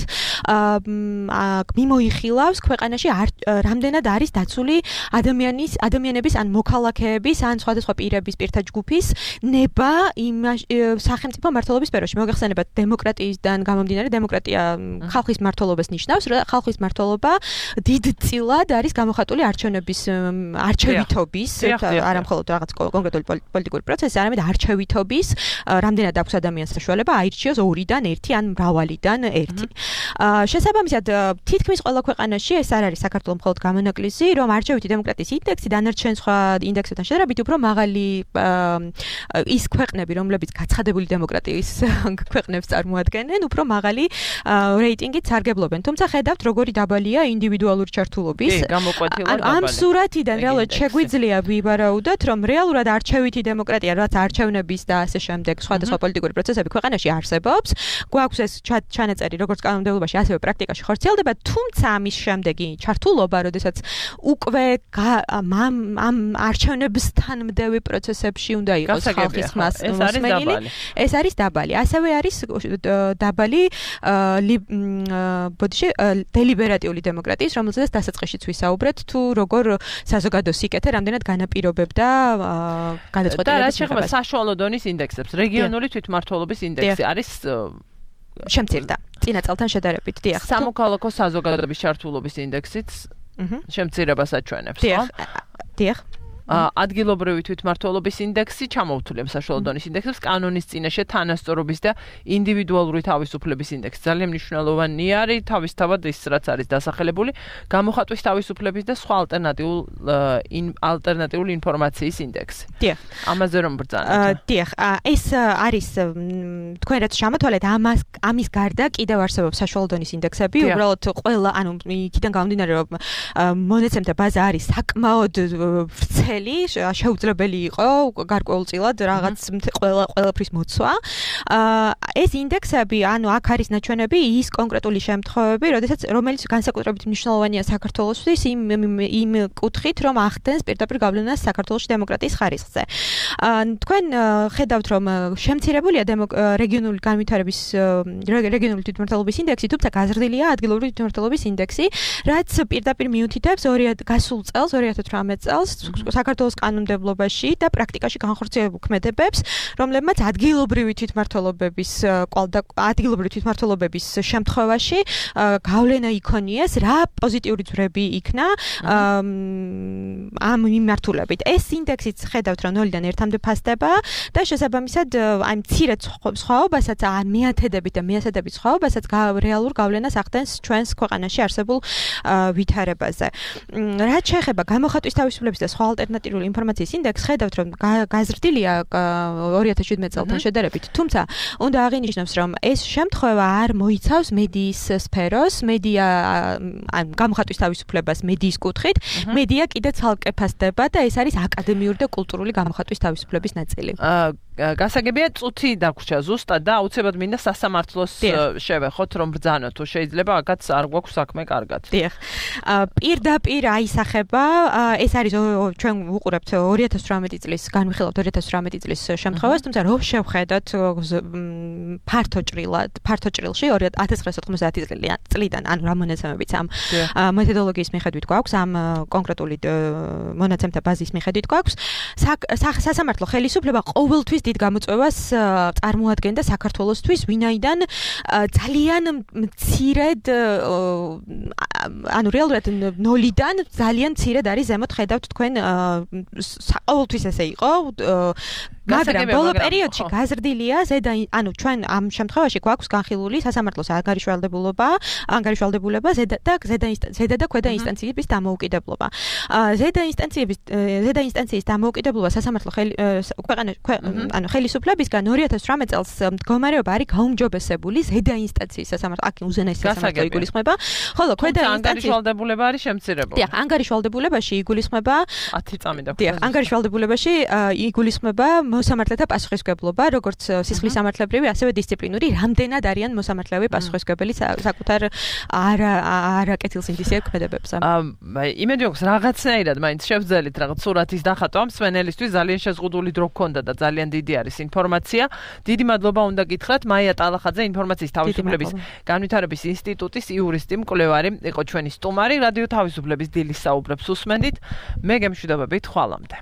მიმოიხილავს ქვეყანაში რამდენად არის დაცული ადამიანის ადამიანების ან მოქალაქეების ან სხვადასხვა პირების პირთა ჯგუფის ნება იმ სახელმწიფო მართლობის სფეროში. მოგეხსენებათ დემოკრატიისგან გამომდინარე, დემოკრატია ხალხის მართლობას ნიშნავს, ხალხის მართლობა დიდწილად არის გამოხატული არჩევნების არჩევითობის, არა მხოლოდ რაღაც კონკრეტული პოლიტიკური პროცესი, არამედ არჩევითობის, რამდენად აქვს ადამიანს საშუალება აირჩიოს ორიდან ერთი ან მრავალიდან ერთი. შესაბამისად, თითქმის ყველა ქვეყანაში ეს არ არის საქართველოს მხოლოდ გამონაკლისი, რომ არჩევითი დემოკრატიის ინდექსი დანარჩენ სხვა ინდექსებთან შედარებით უფრო მაღალი ის ქვეყნები, რომლებიც გაცხადებული დემოკრატიის ქვეყნებს წარმოადგენენ, უფრო მაღალი რეიტინგით სარგებლობენ. თუმცა ხედავთ, როგორი დაბალია ინდივიდუალური ჩართულობის. ამ სურათიდან რეალურად შეგვიძლია ვივარაუდოთ, რომ რეალურად არჩევითი დემოკრატია, რაც არჩევნების და ასე შემდეგ სხვადასხვა პოლიტიკური პროცესები ქვეყანაში არსებობს, გვაქვს ეს ჩანაწერი როგორც კანონმდებლობაში, ასევე პრაქტიკაში ხორციელდება, თუმცა ამის შემდეგი ჩართულობა, როდესაც უკვე ამ არჩევნებსთან მდევი პროცესებში უნდა იყოს ხალხის მოსმენილი, ეს არის დაბალი. ასევე არის დაბალი ბოდიში დელიბერატიული დემოკრატიის, რომელზეც დასაწყისშიც ვისაუბრეთ, თუ როგორ საზოგადო სიკეთე რამდენად განაპირობებდა გადაწყვეტილებას. და რა შეეხება საშუალო დონის ინდექსებს, რეგიონული თვითმმართველობის ინდექსი არის შემცირდა წინა წელთან შედარებით. დიახ. სამოქალაქო საზოგადოების ჩართულობის ინდექსიც შემცირებას აჩვენებს, ხო? დიახ. ადგილობრივი თვითმმართველობის ინდექსი ჩამოვთვლებს საშუალო დონის ინდექსებს, კანონის წინაშე თანასწორობის და ინდივიდუალური თავისუფლების ინდექსი. ძალიან მნიშვნელოვანი არის თავისთავად ის, რაც არის დასახელებული, გამოხატვის თავისუფლების და სხვა ალტერნატიულ ალტერნატიული ინფორმაციის ინდექსი. დიახ. ამაზე რომ ბრძანოთ. დიახ, ეს არის თქვენ რაც ჩამოთვალეთ, ამას ამის გარდა კიდევ არსებობს საშუალო დონის ინდექსები, უბრალოდ ყველა, ანუ იქიდან გამომდინარე, რომ მონაცემთა ბაზა არის საკმაოდ ვრცელი, შეუძლებელი იყო გარკვეულწილად რაღაც ყველა ყველაფრის მოცვა. ეს ინდექსები, ანუ აქ არის ნაჩვენები ის კონკრეტული შემთხვევები, როდესაც რომელიც განსაკუთრებით მნიშვნელოვანია საქართველოსთვის იმ იმ კუთხით, რომ ახდენს პირდაპირ გავლენას საქართველოს დემოკრატიის ხარისხზე. თქვენ ხედავთ, რომ შემცირებულია რეგიონული განვითარების რეგიონული თვითმმართველობის ინდექსი, თუმცა გაზრდილია ადგილობრივი თვითმმართველობის ინდექსი, რაც პირდაპირ მიუთითებს გასულ წელს, ორი ათას ათვრამეტ წელს საქართველოს კანონმდებლობაში და პრაქტიკაში განხორციელებულ ქმედებებს, რომლებმაც ადგილობრივი თვითმმართველობების კვალდა ადგილობრივი თვითმმართველობების შემთხვევაში გავლენა იქონიეს, რა პოზიტიური ძვრები იქნა ამ მიმართულებით. ეს ინდექსიც ხედავთ, რომ ნოლიდან ერთამდე ფასდება და შესაბამისად აი მცირე სხვაობასაც, მეათედებით და მეასადებით სხვაობასაც რეალურ გავლენას ახდენს ჩვენს ქვეყანაში არსებულ ვითარებაზე. რაც შეეხება გამოხატვის თავისუფლების და სხვა ალტერნატიული ინფორმაციის ინდექსი ხედავთ, რომ გაზრდილია ორი ათას შვიდმეტ წელთან შედარებით. თუმცა, უნდა აღინიშნოს, რომ ეს შემთხვევა არ მოიცავს მედიის სფეროს, მედია ან გამოხატვის თავისუფლებას მედიის კუთხით, მედია კიდე ცალკე ფასდება და ეს არის აკადემიური და კულტურული გამოხატვის თავისუფლების ნაწილი. გასაგებია წუთი დაგვრჩა ზუსტად და აუცილებლად მინდა სასამართლოს შევეხოთ რომ ბრძანოთ თუ შეიძლება აქაც არ გვაქვს საქმე კარგად. დიახ. პირდაპირ აისახება ეს არის ჩვენ ვუყურებთ ორი ათას ოცდაოთხ წლის განვიხილავთ ორი ათას ოცდაოთხ წლის შემთხვევას, თუმცა რო შევხედოთ ფართო ჭრილად, ფართო ჭრილში ორი ათას ცხრაასა ოთხმოცდაათი წლიდან, ანუ რა მონაცემებიც ამ მეთოდოლოგიის მიხედვით გვაქვს, ამ კონკრეტული მონაცემთა ბაზის მიხედვით გვაქვს, სასამართლო ხელისუფლება ყოველთვის დიდ გამოწვევას წარმოადგენდა საქართველოსთვის, ვინაიდან ძალიან მცირედ ანუ რეალურად ნოლიდან ძალიან მცირედ არის ზემოთ ხედავთ თქვენ ყოველთვის ესე იყო მაგრამ ბოლო პერიოდში გაზრდილია ზედა ანუ ჩვენ ამ შემთხვევაში გვაქვს განხილული სასამართლოს ანგარიშვალდებულობა, ანგარიშვალდებულება ზედა და ზედა ზედა და ქვედა ინსტანციების დამოუკიდებლობა. ზედა ინსტანციების ზედა ინსტანციის დამოუკიდებლობა სასამართლო ქვეყანა ანუ ხელისუფლებისგან ორი ათას ოცდაოთხ წელს მდგომარეობა არის გაუმჯობესებული ზედა ინსტანციის სასამართლო აქ უზენაესი სასამართლო იგულისხმება, ხოლო ქვედა ინსტანციის ანგარიშვალდებულება არის შემცირებული. დიახ, ანგარიშვალდებულებაში იგულისხმება ათი წამი და დიახ, ანგარიშვალდებულებაში იგულისხმება მოსამართლეთა პასუხისმგებლობა, როგორც სისხლის სამართლებრივი, ასევე დისციპლინური, რამდენად არიან მოსამართლეები პასუხისმგებელი საკუთარ არაკეთილსინდისიერ ქმედებებზე. იმედი აქვს რაღაცნაირად მაინც შევძელით რაღაც სურათის დახატვა ამ სვენელისთვის ძალიან შეზღუდული დრო გქონდა და ძალიან დიდი არის ინფორმაცია. დიდი მადლობა უნდა გითხრათ მაია ტალახაძე ინფორმაციის თავისუფლების განვითარების ინსტიტუტის იურისტი მკვლევარი იყო ჩვენი სტუმარი. რადიო თავისუფლების დილის საუბრებს უსმენდით. მე გემშვიდობებით ხვალამდე.